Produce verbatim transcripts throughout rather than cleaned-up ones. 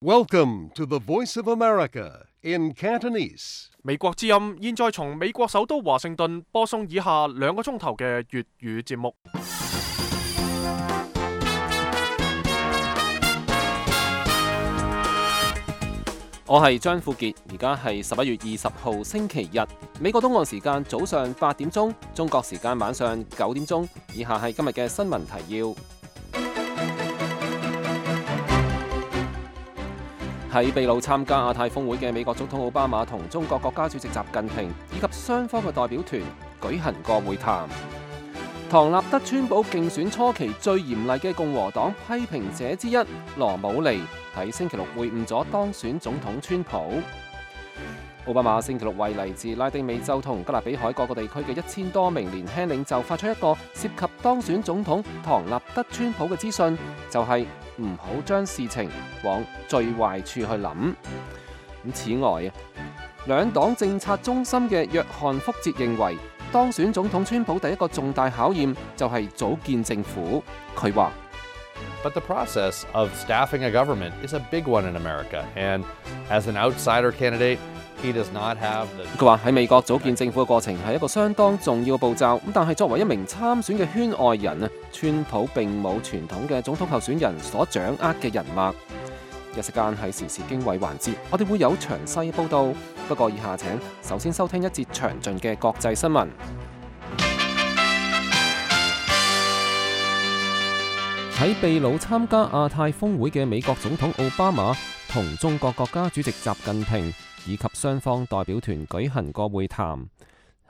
Welcome to the Voice of America in Cantonese. 美國之音現在從美國首都華盛頓播送以下兩個鐘頭嘅粵語節目。我係張富傑，而家係十一月二十號星期日，美國東岸時間早上八點鐘，中國時間晚上九點鐘。以下係今日嘅新聞提要。喺秘魯參加亞太峰會嘅美國總統奧巴馬同中國國家主席習近平以及雙方嘅代表團舉行過會談。唐納德川普競選初期最嚴厲嘅共和黨批評者之一羅姆尼喺星期六會晤咗當選總統川普。奧巴馬星期六為嚟自拉丁美洲同加勒比海各個地區嘅一千多名年輕領袖發出一個涉及當選總統唐納德川普嘅資訊，就係唔好將事情往最壞處去諗。咁此外啊，兩黨政策中心嘅約翰福哲認為，當選總統川普第一個重大考驗就係組建政府。佢話But the process of staffing a government is a big one in America, and as an outsider candidate, he does not have the... 佢話喺美國組建政府嘅過程係一個相當重要嘅步驟，咁但係作為一名參選嘅圈外人啊，川普並冇傳統嘅總統候選人所掌握嘅人脈。一時間喺時事經緯環節，我哋會有詳細報道。不過以下請首先收聽一節詳盡嘅國際新聞。喺秘魯參加亞太峰會嘅美國總統奧巴馬同中國國家主席習近平以及雙方代表團舉行過會談。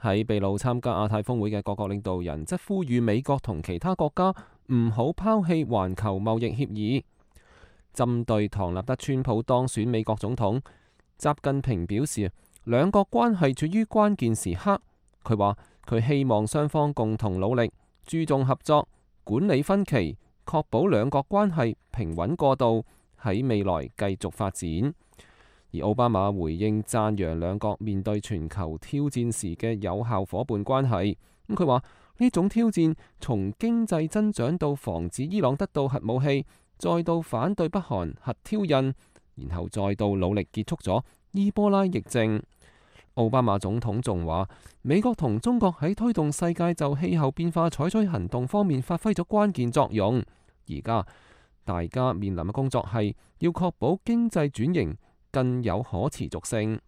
喺秘魯參加亞太峰會嘅各國領導人則呼籲美國同其他國家唔好拋棄環球貿易協議。針對唐納德川普當選美國總統，習近平表示兩國關係處於關鍵時刻。佢話佢希望雙方共同努力，注重合作，管理分歧，確保兩國關係平穩過渡，喺未來繼續發展。而奧巴馬回應讚揚兩國面對全球挑戰時嘅有效夥伴關係。咁佢話呢種挑戰從經濟增長到防止伊朗得到核武器，再到反對北韓核挑釁，然後再到努力結束咗伊波拉疫症。奧巴馬總統仲話，美國同中國喺推動世界就氣候變化採取行動方面發揮咗關鍵作用。而家大家面臨嘅工作係要確保經濟轉型更有可持續性。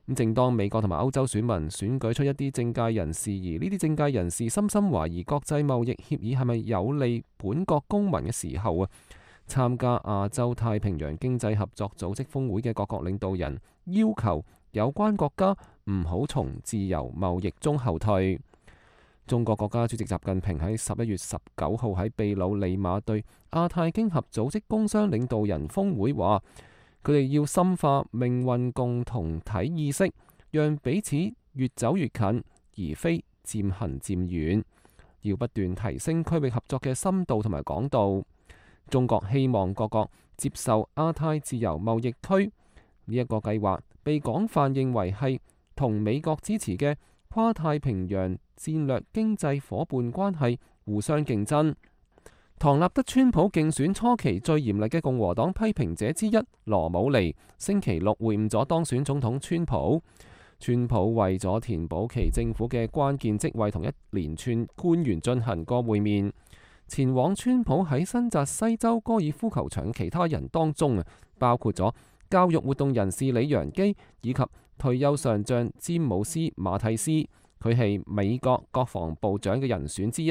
咁正當美國同埋歐洲選民選舉出一啲政界人士，而呢啲政界人士深深懷疑國際貿易協議係咪有利本國公民嘅時候啊，參加亞洲太平洋經濟合作組織峰會嘅各國領導人要求有關國家唔好從自由貿易中後退。中國國家主席習近平喺十一月十九號喺秘魯利馬對亞太經合組織工商領導人峰會話，佢哋要深化命運共同體意識，讓彼此越走越近，而非漸行漸遠。要不斷提升區域合作嘅深度同埋廣度。中國希望各國接受亞太自由貿易區呢一個計劃，被廣泛認為係同美國支持嘅跨太平洋戰略經濟夥伴關係互相競爭。唐納德川普競選初期最嚴厲嘅共和黨批評者之一羅姆尼星期六會晤咗當選總統川普。川普為咗填補其政府嘅關鍵職位，同一連串官員進行過會面。前往川普喺新澤西州高爾夫球場其他人當中啊，包括咗教育活動人士李揚基以及退休上將詹姆斯馬蒂斯，佢係美國國防部長嘅人選之一。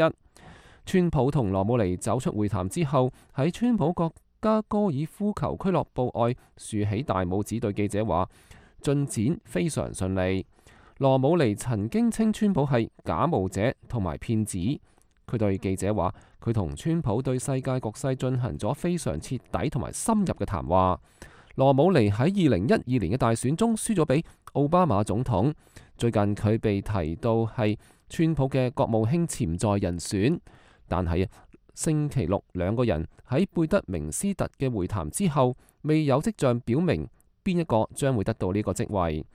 川普同羅姆尼走出會談之後，喺川普國家高爾夫球俱樂部外豎起大拇指，對記者話進展非常順利。羅姆尼曾經稱川普係假冒者同埋騙子。佢對記者話，佢同川普對世界局勢進行咗非常徹底同埋深入嘅談話。羅姆尼喺二零一二年嘅大選中輸咗俾奧巴馬總統。最近佢被提到係川普嘅國務卿潛在人選，但係星期六兩個人喺貝德明斯特嘅會談之後，未有跡象表明邊一個將會得到呢個職位。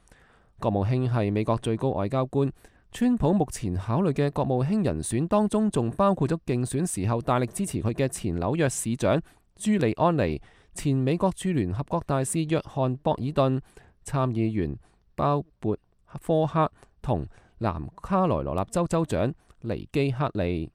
國務卿係美國最高外交官。川普目前考慮嘅國務卿人選當中，仲包括咗競選時候大力支持佢嘅前紐約市長朱利安尼、前美國駐聯合國大使約翰博爾頓、參議員鮑勃科克同南卡羅來納州州長尼基克利。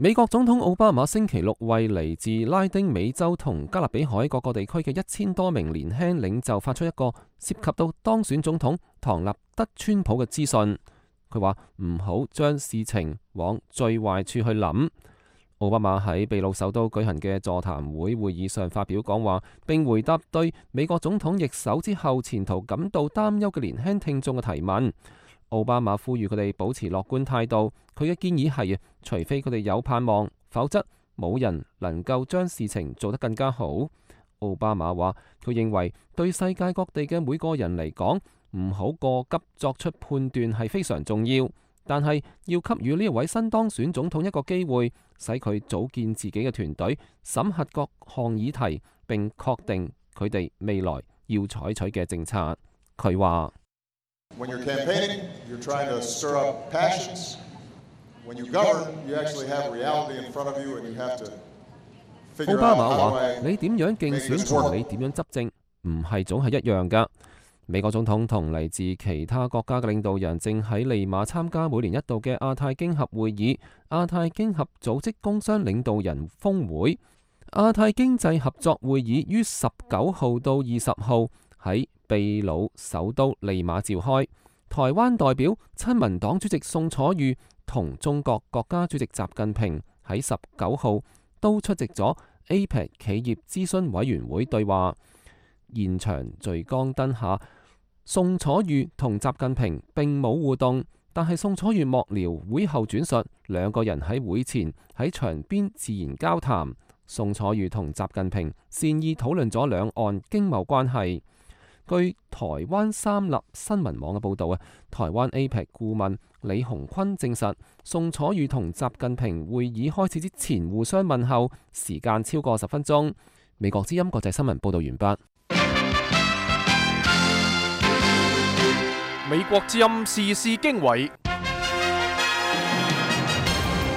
美國總統奧巴馬星期六為嚟自拉丁美洲同加勒比海各個地區嘅一千多名年輕領袖發出一個涉及到當選總統唐納德川普嘅資訊。佢話唔好將事情往最壞處去諗。奧巴馬喺秘魯首都舉行嘅座談會會議上發表講話，並回答對美國總統易手之後前途感到擔憂嘅年輕聽眾嘅提問。奧巴馬呼籲佢哋保持樂觀態度。佢嘅建議係，除非佢哋有盼望，否則冇人能夠將事情做得更加好。奧巴馬話，佢認為對世界各地嘅每個人嚟講，唔好過急作出判斷係非常重要，但係要給予呢一位新當選總統一個機會，使佢組建自己嘅團隊，審核各項議題，並確定佢哋未來要採取嘅政策。佢話When you're campaigning, you're trying to stir up passions. When you govern, you actually have reality in front of you, and you have to figure out how do I make this work. 奧巴馬話：你點樣競選同你點樣執政，唔係總係一樣㗎。美國總統同嚟自其他國家嘅領導人正喺利馬參加每年一度嘅亞太經合會議——亞太經合組織工商領導人峰會。亞太經濟合作會議於十九號到二十號喺秘魯首都利馬召開。台灣代表親民黨主席宋楚瑜同中國國家主席習近平喺十九號都出席咗 A P E C 企業諮詢委員會對話。現場聚光燈下，宋楚瑜同習近平並冇互動，但係宋楚瑜幕僚會後轉述，兩個人喺會前喺場邊自然交談。宋楚瑜同習近平善意討論咗兩岸經貿關係。據台灣三立新聞網嘅報導啊，台灣 A P E C 顧問李鴻坤證實，宋楚瑜同習近平會議開始之前互相問候，時間超過十分鐘。美國之音國際新聞報導完畢。美國之音時事經緯，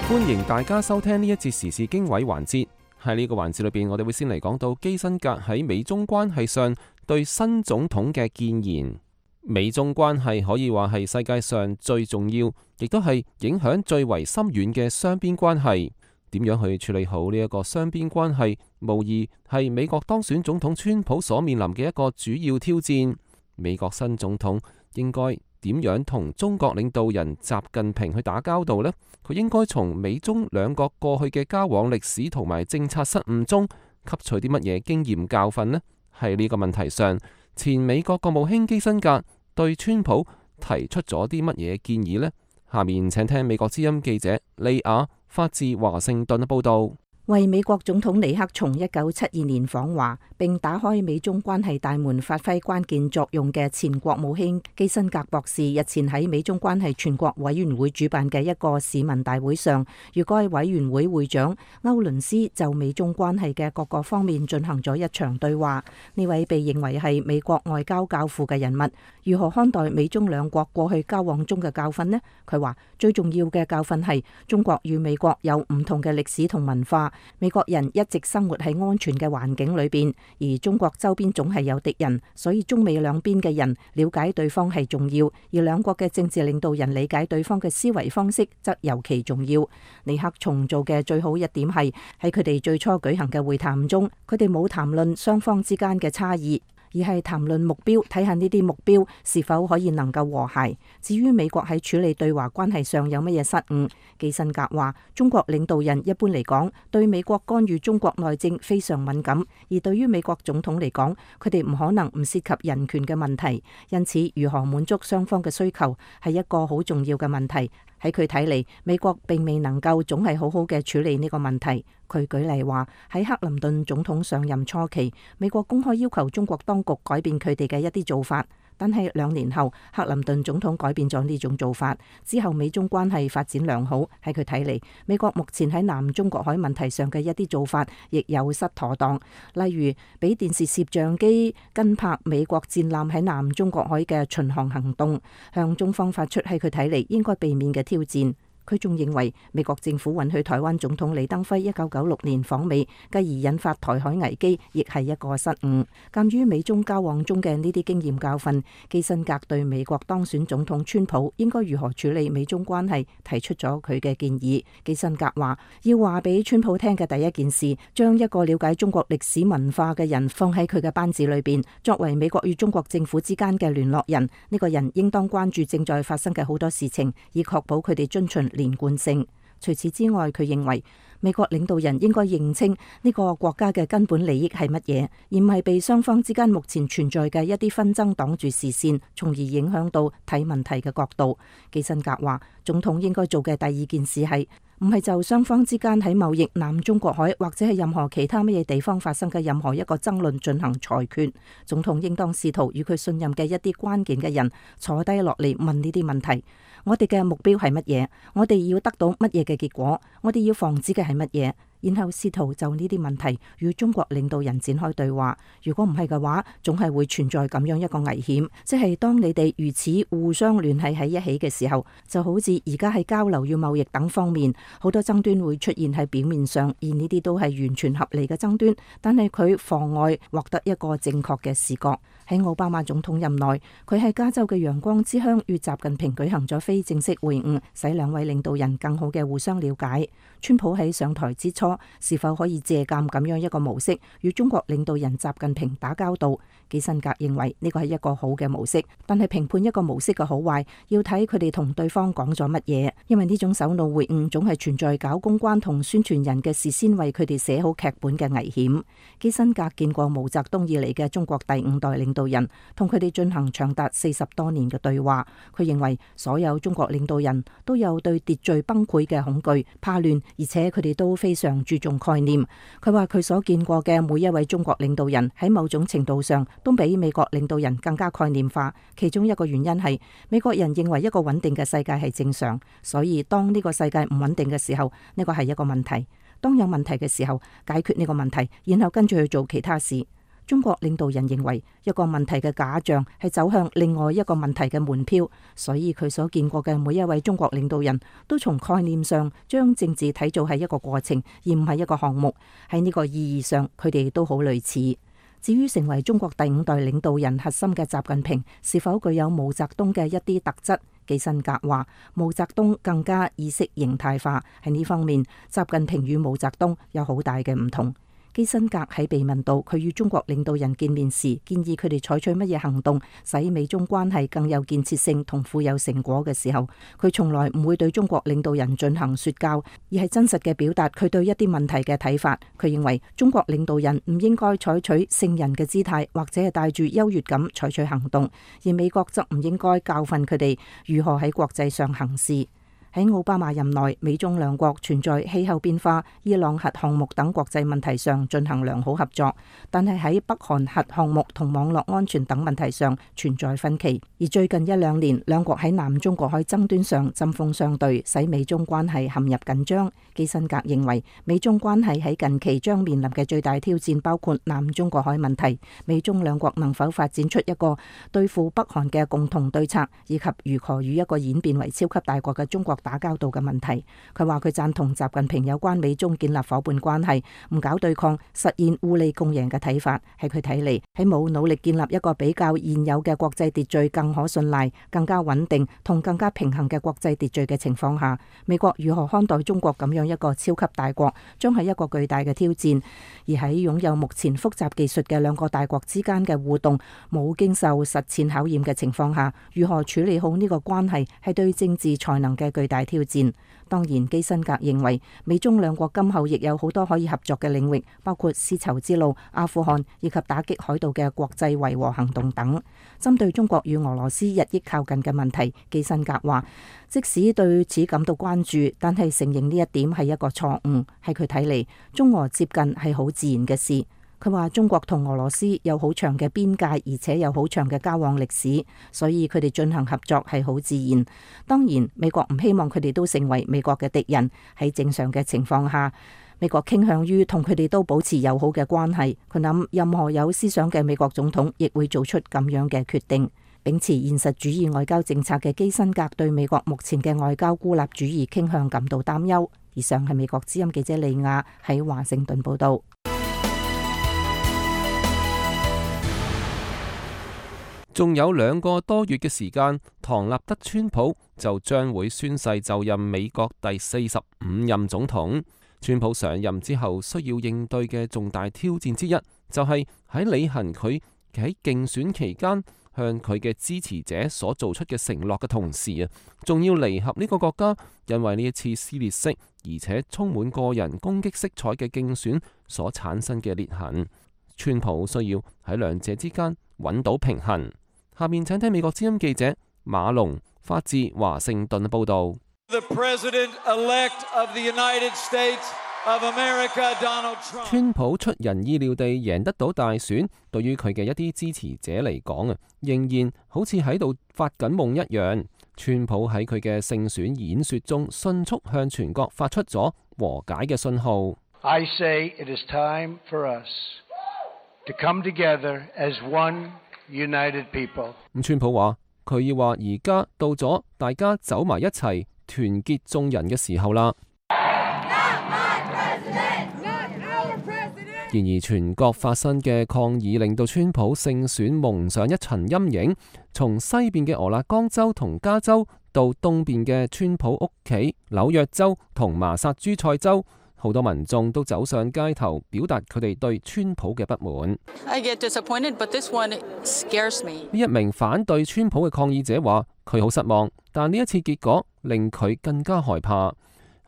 歡迎大家收聽呢一節時事經緯環節。喺呢個環節裏邊，我哋會先嚟講到基辛格喺美中關係上對新總統嘅建言。美中關係可以話係世界上最重要，亦都係影響最為深遠嘅雙邊關係。點樣去處理好呢一個雙邊關係，無疑係美國當選總統川普所面臨嘅一個主要挑戰。美國新總統應該點樣同中國領導人習近平去打交道呢？佢應該從美中兩國過去嘅交往歷史同埋政策失誤中吸取啲乜嘢經驗教訓呢？喺呢個問題上，前美國國務卿基辛格對川普提出咗啲乜嘢建議呢？下面請聽美國之音記者利亞發自華盛頓嘅報道。為美國總統尼克松一九七二年訪華並打開美中關係大門發揮關鍵作用嘅前國務卿基辛格博士，日前喺美中關係全國委員會主辦嘅一個市民大會上，與該委員會會長歐倫斯就美中關係嘅各個方面進行咗一場對話。呢位被認為係美國外交教父嘅人物，如何看待美中兩國過去交往中嘅教訓呢？佢話最重要嘅教訓係中國與美國有唔同嘅歷史同文化。美國人一直生活喺安全嘅環境裏邊，而中國周邊總係有敵人，所以中美兩邊嘅人了解對方係重要，而兩國嘅政治領導人理解對方嘅思維方式則尤其重要。尼克松做嘅最好一點係喺佢哋最初舉行嘅會談中，佢哋冇談論雙方之間嘅差異，而係談論目標，睇下呢啲目標是否可以能夠和諧。至於美國喺處理對華關係上有乜嘢失誤，基辛格話中國領導人一般嚟講對美國干預中國內政非常敏感，而對於美國總統嚟講，佢哋唔可能唔涉及人權嘅問題，因此如何滿足雙方嘅需求係一個好重要嘅問題。喺佢睇嚟，美國並未能夠總係好好嘅處理呢個問題。佢舉例話，喺克林頓總統上任初期，美國公開要求中國當局改變佢哋嘅一啲做法，但係兩年後，克林頓總統改變咗呢種做法之後，美中關係發展良好。喺佢睇嚟，美國目前喺南中國海問題上嘅一啲做法亦有失妥當，例如俾電視攝像機跟拍美國戰艦喺南中國海嘅巡航行動，向中方發出喺佢睇嚟應該避免嘅挑戰。佢仲認為美國政府允許台灣總統李登輝一九九六年訪美，繼而引發台海危機，亦係一個失誤。鑑於美中交往中嘅呢啲經驗教訓，基辛格對美國當選總統川普應該如何處理美中關係提出咗佢嘅建議。基辛格話要話俾川普聽嘅第一件事，將一個了解中國歷史文化嘅人放喺佢嘅班子裏邊，作為美國與中國政府之間嘅聯絡人。呢個人應當關注正在發生嘅好多事情，以確保佢哋遵循連貫性。除此之外，佢認為美國領導人應該認清呢個國家嘅根本利益係乜嘢，而唔係被雙方之間目前存在嘅一啲紛爭擋住視線，從而影響到睇問題嘅角度。基辛格話，總統應該做嘅第二件事係唔係就雙方之間喺貿易、南中國海或者係任何其他乜嘢地方發生嘅任何一個爭論進行裁決。總統應當試圖與佢信任嘅一啲關鍵嘅人坐低落嚟問呢啲問題。我哋嘅目標係乜嘢？我哋要得到乜嘢嘅結果？我哋要防止嘅係乜嘢？然後試圖就呢啲問題與中國領導人展開對話。如果唔係嘅話，總係會存在咁樣一個危險，即係當你哋如此互相聯繫喺一起嘅時候，就好似而家喺交流與貿易等方面，好多爭端會出現喺表面上，而呢啲都係完全合理嘅爭端，但係佢妨礙獲得一個正確嘅視覺。喺奧巴馬總統任內，佢喺加州嘅陽光之鄉與習近平舉行咗非正式會晤，使兩位領導人更好嘅互相了解。川普喺上台之初，是否可以借鑒咁樣一個模式與中國領導人習近平打交道？基辛格認為呢個係一個好嘅模式，但係評判一個模式嘅好壞要睇佢哋同對方講咗乜嘢，因為呢種首腦會晤總係存在搞公關同宣傳人嘅事先為佢哋寫好劇本嘅危險。基辛格見過毛澤東以嚟嘅中國第五代領導人，同佢哋進行長達四十多年嘅對話。佢認為所有中國領導人都有對秩序崩潰嘅恐懼、怕亂，而且佢哋都非常注重概念。佢話佢所見過嘅每一位中國領導人喺某種程度上都比美國領導人更加概念化。其中一個原因係美國人認為一個穩定嘅世界係正常，所以當呢個世界唔穩定嘅時候，呢個係一個問題。當有問題嘅時候，解決呢個問題，然後跟住去做其他事。中國領導人認為一個問題嘅假象係走向另外一個問題嘅門票，所以佢所見過嘅每一位中國領導人都從概念上將政治睇做係一個過程，而唔係一個項目。喺呢個意義上，佢哋都好類似。至於成為中國第五代領導人核心嘅習近平是否具有毛澤東嘅一啲特質，基辛格話毛澤東更加意識形態化，喺呢方面習近平與毛澤東有好大嘅唔同。基辛格喺被問到佢與中國領導人見面時，建議佢哋採取乜嘢行動使美中關係更有建設性同富有成果嘅時候，佢從來唔會對中國領導人進行說教，而係真實嘅表達佢對一啲問題嘅睇法。佢認為中國領導人唔應該採取聖人嘅姿態，或者係帶住優越感採取行動，而美國則唔應該教訓佢哋如何喺國際上行事。喺奧巴馬任內，美中兩國存在氣候變化、伊朗核項目等國際問題上進行良好合作，但係喺北韓核項目同網絡安全等問題上存在分歧。而最近一兩年，兩國喺南中國海爭端上針鋒相對，使美中關係陷入緊張。基辛格認為，美中關係喺近期將面臨嘅最大挑戰包括南中國海問題，美中兩國能否發展出一個對付北韓嘅共同對策，以及如何與一個演變為超級大國嘅中國打交道嘅問題。佢話佢贊同習近平有關美中建立夥伴關係、唔搞對抗、實現互利共贏嘅睇法。喺佢睇嚟，喺冇努力建立一個比較現有嘅國際秩序更可信賴、更加穩定同更加平衡嘅國際秩序嘅情況下，美國如何看待中國咁樣一個超級大國，將係一個巨大嘅挑戰。而喺擁有目前複雜技術嘅兩個大國之間嘅互動冇經受實踐考驗嘅情況下，如何處理好呢個關係，係對政治才能嘅巨大挑戰。當然，基辛格認為美中兩國今後亦有好多可以合作嘅領域，包括絲綢之路、阿富汗以及打擊海盜嘅國際維和行動等。針對中國與俄羅斯日益靠近嘅問題，基辛格話，即使對此感到關注，但係承認呢一點係一個錯誤。喺佢睇嚟，中俄接近係好自然嘅事。佢話中國同俄羅斯有好長嘅邊界，而且有好長嘅交往歷史，所以佢哋進行合作係好自然。當然，美國唔希望佢哋都成為美國嘅敵人。喺正常嘅情況下，美國傾向於同佢哋都保持友好嘅關係。佢諗任何有思想嘅美國總統亦會做出咁樣嘅決定。秉持現實主義外交政策嘅基辛格對美國目前嘅外交孤立主義傾向感到擔憂。以上係美國之音記者利亞喺華盛頓報道。仲有兩個多月嘅時間，唐納德·川普就將會宣誓就任美國第四十五任總統。川普上任之後需要應對嘅重大挑戰之一，就係喺履行佢喺競選期間向佢嘅支持者所做出嘅承諾嘅同時啊，仲要彌合呢個國家因為呢一次撕裂式而且充滿個人攻擊色彩嘅競選所產生嘅裂痕。川普需要喺兩者之間揾到平衡。下面請聽美國之音記者馬龍發自華盛頓報道。川普出人意料地贏得到大選，對於佢嘅一啲支持者嚟講啊，仍然好似喺度發緊夢一樣。川普喺佢嘅勝選演說中，迅速向全國發出咗和解嘅信號。I say it is time for us to come together as one united people。咁川普話佢要話而家到咗大家走埋一齊團結眾人嘅時候啦。然而全國發生嘅抗議令到川普勝選蒙上一層陰影，從西邊嘅俄勒岡州同加州到東邊嘅川普屋企紐約州同麻薩諸塞州，好多民眾都走上街頭表達佢哋對川普嘅不滿。I get disappointed, but this one scares me. 呢一名反對川普嘅抗議者話佢好失望，但呢一次結果令佢更加害怕。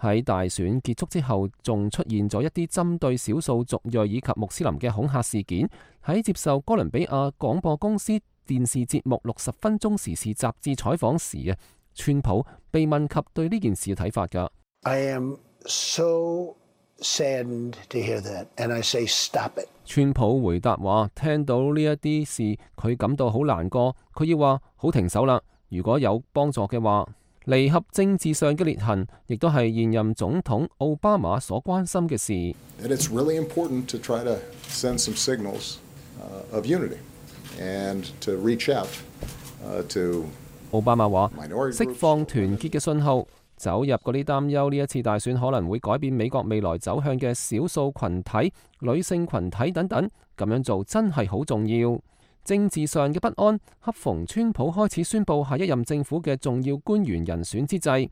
喺大選結束之後，仲出現咗一啲針對少數族裔以及穆斯林嘅恐嚇事件。喺接受哥倫比亞廣播公司電視節目六十分鐘時事雜誌採訪時啊，川普被問及對呢件事嘅睇法㗎。I am so saddened to hear that, and I say stop it. 川普回答話：聽到呢一啲事，佢感到好難過，佢要話好停手啦。如果有幫助嘅話。彌合政治上嘅裂痕，亦都係現任總統奧巴馬所關心嘅事。It's really important to try to send some signals of unity and to reach out to。奧巴馬話：釋放團結嘅信號，走入嗰啲擔憂呢一次大選可能會改變美國未來走向嘅少數群體、女性群體等等，咁樣做真係好重要。政治上嘅不安，恰逢川普開始宣布下一任政府嘅重要官員人選之際，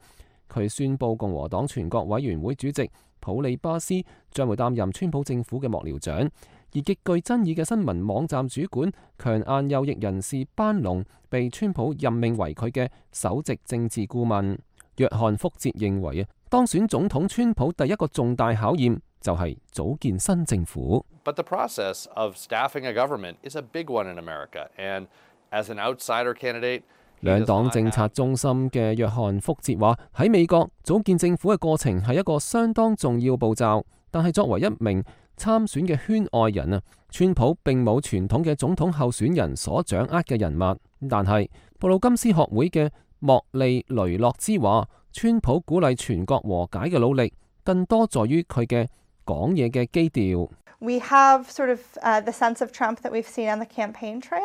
佢宣布共和黨全國委員會主席普利巴斯將會擔任川普政府嘅幕僚長，而極具爭議嘅新聞網站主管強硬右翼人士班農被川普任命為佢嘅首席政治顧問。約翰福哲認為啊，當選總統川普第一個重大考驗就係組建新政府。But the process of staffing a government is a big one in America, and as an outsider candidate，兩黨政策中心嘅約翰福哲話：喺美國組建政府嘅過程係一個相當重要步驟，但係作為一名參選嘅圈外人啊，川普並冇傳統嘅總統候選人所掌握嘅人物。但係布魯金斯學會嘅莫利雷諾茲話：川普鼓勵全國和解嘅努力，更多在於佢嘅講嘢嘅基調。We have sort of uh, the sense of Trump that we've seen on the campaign trail,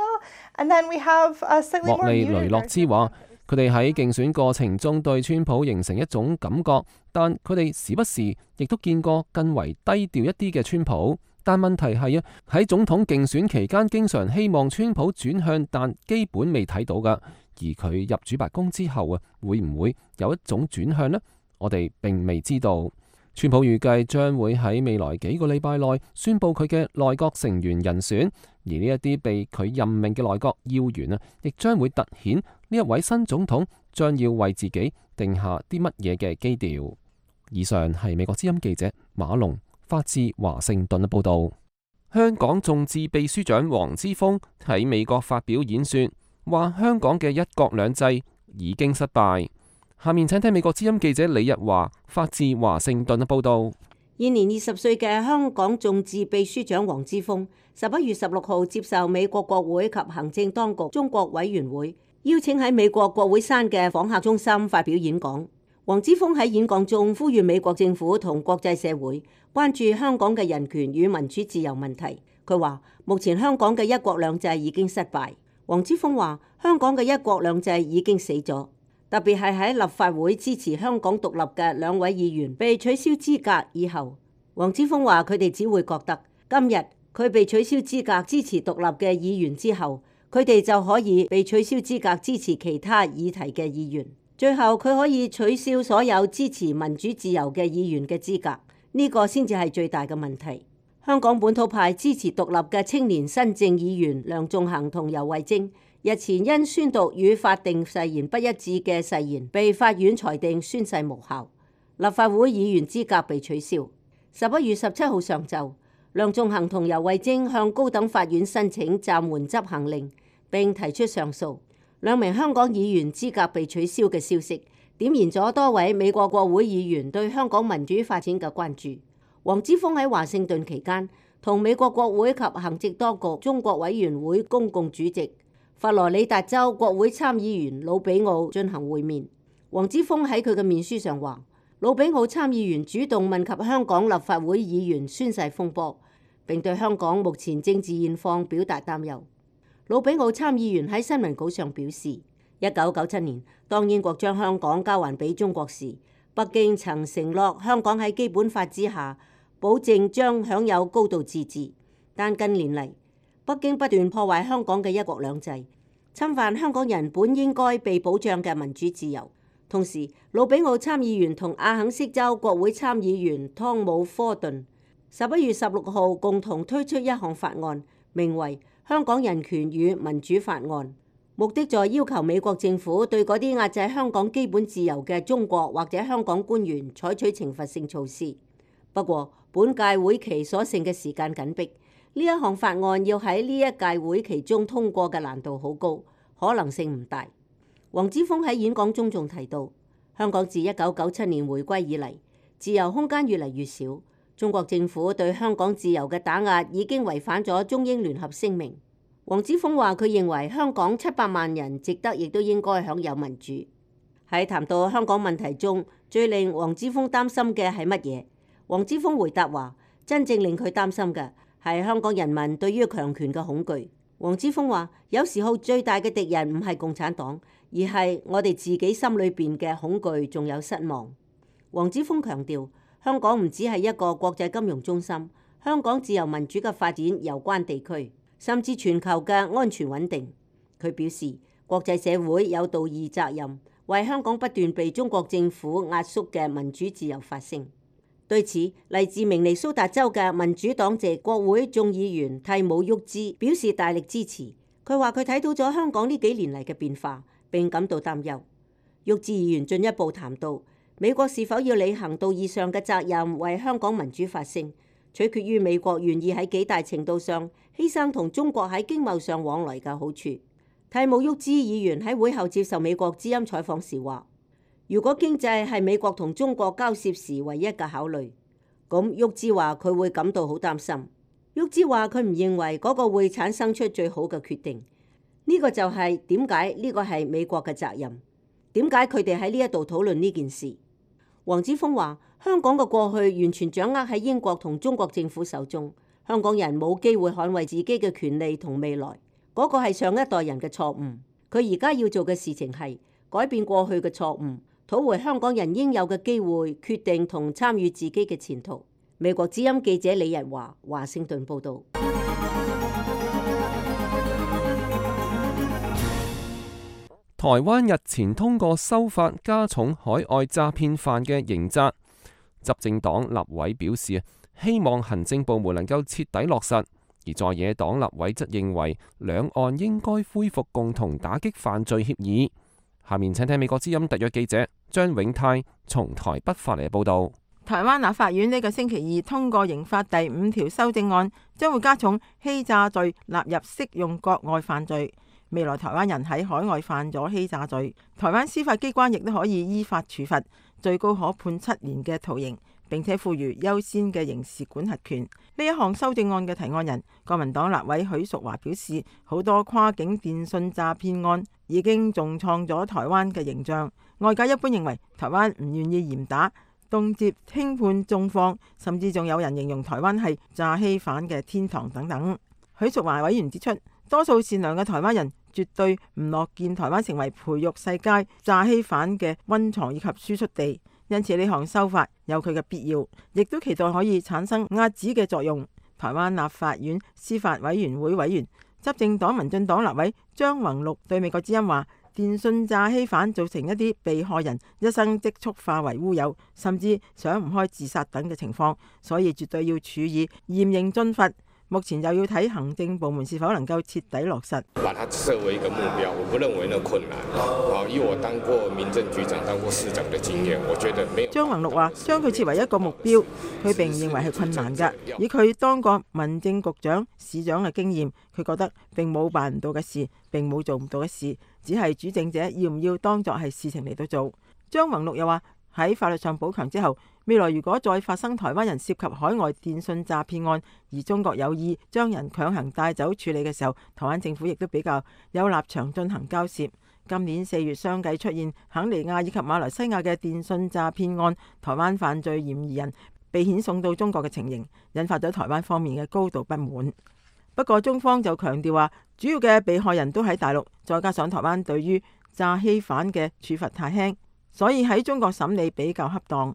and then we have a slightly more muted version. 莫利雷諾茲話：佢哋喺競選過程中對川普形成一種感覺，但佢哋時不時亦都見過更為低調一啲嘅川普。但問題係啊，喺總統競選期間，經常希望川普轉向，但基本未睇到㗎。而佢入主白宮之後啊，會唔會有一種轉向呢？我哋並未知道。川普預計將會喺未來幾個禮拜內宣布佢嘅內閣成員人選，而呢一啲被佢任命嘅內閣要員啊，亦將會突顯呢一位新總統將要為自己定下啲乜嘢嘅基調。以上係美國之音記者馬龍發自華盛頓嘅報道。香港眾志秘書長黃之鋒喺美國發表演說，話香港嘅一國兩制已經失敗。下面請聽美國之音記者李日華發自華盛頓嘅報道。現年二十歲嘅香港眾志秘書長黃之鋒，十一月十六號接受美國國會及行政當局中國委員會邀請喺美國國會山嘅訪客中心發表演講。黃之鋒喺演講中呼籲美國政府同國際社會關注香港嘅人權與民主自由問題。佢話：目前香港嘅一國兩制已經失敗。黃之鋒話：香港嘅一國兩制已經死咗，特別係喺立法會支持香港獨立嘅兩位議員被取消資格以後，黃之鋒話佢哋只會覺得今日佢被取消資格支持獨立嘅議員之後，佢哋就可以被取消資格支持其他議題嘅議員，最後佢可以取消所有支持民主自由嘅議員嘅資格，呢個先至係最大嘅問題。香港本土派支持獨立嘅青年新政議員梁頌恆同游蕙禎日前因宣讀與法定誓言不一致嘅誓言，被法院裁定宣誓無效，立法會議員資格被取消。十一月十七號上晝，梁頌恆同游蕙禎向高等法院申請暫緩執行令，並提出上訴。兩名香港議員資格被取消嘅消息，點燃咗多位美國國會議員對香港民主發展嘅關注。黃之鋒喺華盛頓期間，同美國國會及行政當局中國委員會公共主席佛羅里達州國會參議員魯比奧進行會面。黃之鋒喺佢嘅面書上話，魯比奧參議員主動問及香港立法會議員宣誓風波，並對香港目前政治現況表達擔憂。魯比奧參議員喺新聞稿上表示，一九九七年當英國將香港交還俾中國時，北京曾承諾香港喺基本法之下保證將享有高度自治，但近年嚟北京不斷破壞香港嘅一國兩制，侵犯香港人本應該被保障嘅民主自由。同時，魯比奧參議員同阿肯色州國會參議員湯姆科頓十一月十六號共同推出一項法案，名為《香港人權與民主法案》，目的在要求美國政府對嗰啲壓制香港基本自由嘅中國或者香港官員採取懲罰性措施。不過，本屆會期所剩嘅時間緊迫，呢一項法案要喺呢一屆會期中通過嘅難度好高，可能性唔大。黃之鋒喺演講中仲提到，香港自一九九七年回歸以嚟，自由空間越嚟越少，中國政府對香港自由嘅打壓已經違反咗中英聯合聲明。黃之鋒話佢認為香港七百萬人值得亦都應該享有民主。喺談到香港問題中，最令黃之鋒擔心嘅係乜嘢？黃之鋒回答話，真正令佢擔心嘅係香港人民對於強權嘅恐懼。黃之鋒話，有時候最大嘅敵人唔係共產黨，而係我哋自己心裏邊嘅恐懼仲有失望。黃之鋒強調，香港唔只係一個國際金融中心，香港自由民主嘅發展攸關地區，甚至全球嘅安全穩定。佢表示，國際社會有道義責任，為香港不斷被中國政府壓縮嘅民主自由發聲。對此，嚟自明尼蘇達州嘅民主黨籍國會眾議員蒂姆·沃茲表示大力支持。佢話佢睇到咗香港呢幾年嚟嘅變化，並感到擔憂。沃茲議員進一步談到，美國是否要履行道義上嘅責任，為香港民主發聲，取決於美國願意喺幾大程度上犧牲同中國喺經貿上往來嘅好處。蒂姆·沃茲議員喺會後接受美國之音採訪時話，如果經濟係美國同中國交涉時唯一嘅考慮，咁沃茲話佢會感到好擔心。沃茲話佢唔認為嗰個會產生出最好嘅決定。呢個就係點解呢個係美國嘅責任？點解佢哋喺呢一度討論呢件事？黃之鋒話，香港嘅過去完全掌握喺英國同中國政府手中，香港人冇機會捍衛自己嘅權利同未來。嗰個係上一代人嘅錯誤。佢而家要做嘅事情係改變過去嘅錯誤，討回香港人應有嘅機會，決定同參與自己嘅前途。美國之音記者李日華，華盛頓報導。台灣日前通過修法，加重海外詐騙犯嘅刑責。執政黨立委表示，希望行政部門能夠徹底落實；而在野黨立委則認為，兩岸應該恢復共同打擊犯罪協議。下面請聽美國之音特約記者張永泰從台北發嚟報道。台灣立法院呢個星期二通過刑法第五條修正案，將會加重欺詐罪納入適用國外犯罪。未來台灣人喺海外犯咗欺詐罪，台灣司法機關亦都可以依法處罰，最高可判七年嘅徒刑，並且賦予優先嘅刑事管轄權。呢一項修正案嘅提案人國民黨立委許淑華表示，好多跨境電信詐騙案已經重創咗台灣嘅形象。外界一般認為台灣唔願意嚴打，動輒輕判重放，甚至仲有人形容台灣係詐欺犯嘅天堂等等。許淑華委員指出，多數善良嘅台灣人絕對唔樂見台灣成為培育世界詐欺犯嘅溫床以及輸出地，因此呢項修法有佢嘅必要，亦都期待可以產生壓止嘅作用。台灣立法院司法委員會委員、執政黨民進黨立委張宏陸對美國之音話，電訊詐欺犯造成一啲被害人一生積蓄化為烏有，甚至想唔開自殺等嘅情況，所以絕對要處以嚴刑峻罰。目前又要睇行政部門是否能夠徹底落實。把它設為一個目標，我不認為那困難。啊，以我當過民政局長、當過市長的經驗，我覺得沒有。張宏陸話：將佢設為一個目標，佢並唔認為係困難㗎。以佢當過民政局長、市長嘅經驗，佢覺得並冇辦唔到嘅事，並冇做唔到嘅事，只係主政者要唔要當作係事情嚟到做。張宏陸又話：喺法律上補強之後，未來如果再發生台灣人涉及海外電訊詐騙案，而中國有意將人強行帶走處理嘅時候，台灣政府亦都比較有立場進行交涉。今年四月相繼出現肯尼亞以及馬來西亞嘅電訊詐騙案，台灣犯罪嫌疑人被遣送到中國嘅情形，引發咗台灣方面嘅高度不滿。不過中方就強調話，主要嘅被害人都喺大陸，再加上台灣對於詐欺犯嘅處罰太輕，所以喺中國審理比較恰當。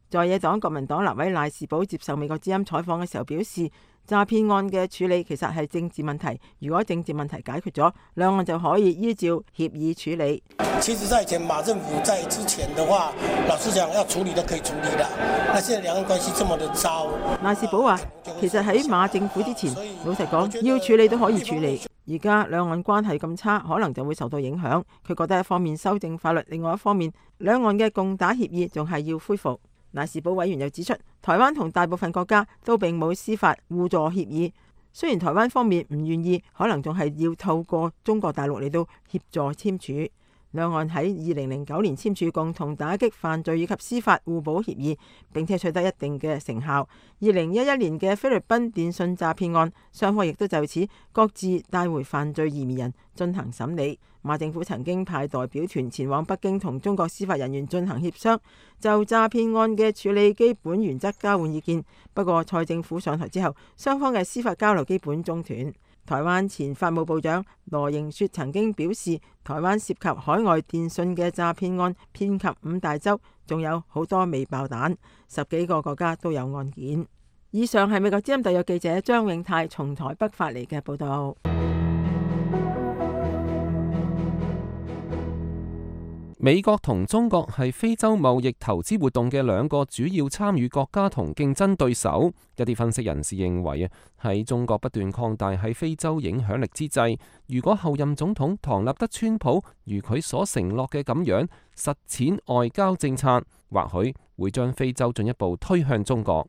在野黨國民黨立委賴士葆接受美國之音採訪嘅時候表示，詐騙案嘅處理其實係政治問題，如果政治問題解決咗，兩岸就可以依照協議處理。其實在以前馬政府在之前的話，老實講要處理都可以處理的，那現在兩岸關係這麼的糟。賴士葆話，其實喺馬政府之前，老實講要處理都可以處理，而家兩岸關係咁差，可能就會受到影響。佢覺得一方面修正法律，另外一方面兩岸嘅共打協議仲係要恢復。賴士葆委員又指出，台灣同大部分國家都並冇司法互助協議，雖然台灣方面唔願意，可能仲係要透過中國大陸嚟到協助簽署。兩岸喺二零零九年簽署共同打擊犯罪以及司法互保協議，並且取得一定嘅成效。二零一一年嘅菲律賓電訊詐騙案，雙方亦都就此各自帶回犯罪嫌疑人進行審理。馬政府曾經派代表團前往北京同中國司法人員進行協商，就詐騙案嘅處理基本原則交換意見。不過蔡政府上台之後，雙方嘅司法交流基本中斷。台灣前法務部長羅盈雪曾經表示，台灣涉及海外電訊嘅詐騙案遍及五大洲，仲有好多未爆彈，十幾個國家都有案件。以上係美國之音特約記者張永泰從台北發嚟嘅報道。美國同中國係非洲貿易投資活動嘅兩個主要參與國家同競爭對手。一啲分析人士認為啊，喺中國不斷擴大喺非洲影響力之際，如果後任總統唐納德川普如佢所承諾嘅咁樣實踐外交政策，或許會將非洲進一步推向中國。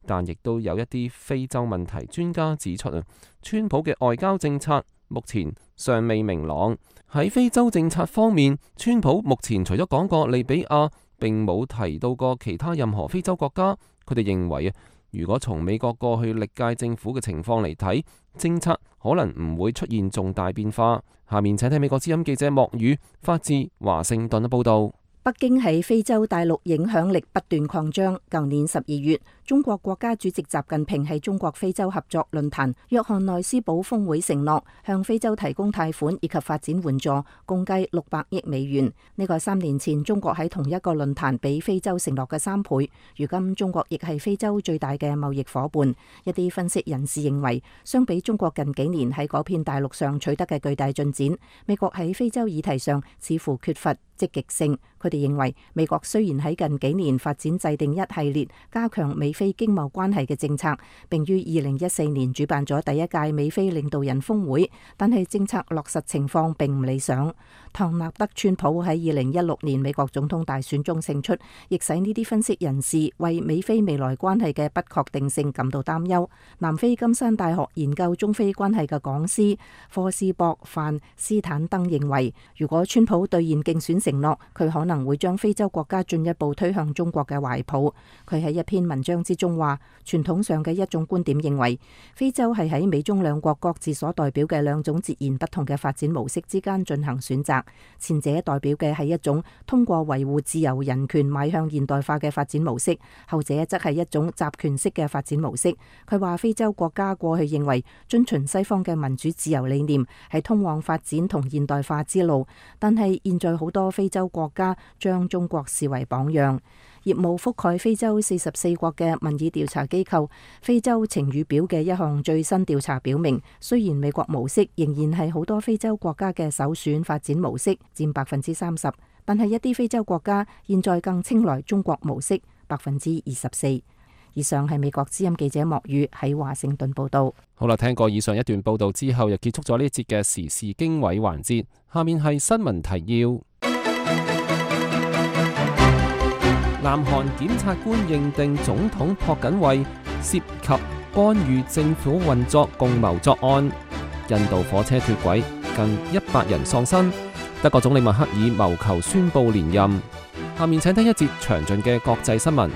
但亦都有一啲非洲問題專家指出啊，川普嘅外交政策目前尚未明朗。喺非洲政策方面，川普目前除咗講過利比亞，並冇提到過其他任何非洲國家。佢哋認為啊，如果從美國過去歷屆政府嘅情況嚟睇，政策可能唔會出現重大變化。下面請睇美國之音記者莫宇發自華盛頓嘅報道。北京喺非洲大陸影響力不斷擴張。舊年十二月，中國國家主席習近平喺中國非洲合作論壇約翰內斯堡峰會承諾向非洲提供貸款以及發展援助，共計六百億美元。呢個係三年前中國喺同一個論壇俾非洲承諾嘅三倍。如今中國亦係非洲最大嘅貿易夥伴。一啲分析人士認為，相比中國近幾年喺嗰片大陸上取得嘅巨大進展，美國喺非洲議題上似乎缺乏積極性。佢哋認為，美國雖然喺近幾年發展制定一系列加強美非經貿關係嘅政策，並於二零一四年主辦咗第一屆美非領導人峰會，但係政策落實情況並唔理想。唐納德川普喺二零一六年美國總統大選中勝出，亦使呢啲分析人士為美非未來關係嘅不確定性感到擔憂。南非金山大學研究中非關係嘅講師科斯博范斯坦登認為，如果川普兌現競選承諾，佢可能會將非洲國家進一步推向中國嘅懷抱。佢喺一篇文章章之中話，傳統上嘅一種觀點認為，非洲係喺美中兩國各自所代表嘅兩種截然不同嘅發展模式之間進行選擇。前者代表嘅係一種通過維護自由人權邁向現代化嘅發展模式，後者則係一種集權式嘅發展模式。佢話非洲國家過去認為遵循西方嘅民主自由理念係通往發展同現代化之路，但係現在好多非洲國家將中國視為榜樣。業務覆蓋非洲四十四國嘅民意調查機構非洲晴雨表嘅一項最新調查表明，雖然美國模式仍然係好多非洲國家嘅首選發展模式，佔百分之三十，但係一啲非洲國家現在更青睞中國模式，百分之二十四。以上係美國之音記者莫宇喺華盛頓報道。好啦，聽過以上一段報道之後，又結束咗呢一節嘅時事經緯環節。下面係新聞提要。南韓檢察官認定總統朴槿惠涉及干預政府運作共謀作案。印度火車脫軌，近一百人喪生。德國總理默克爾謀求宣布連任。下面請聽一節詳盡嘅國際新聞。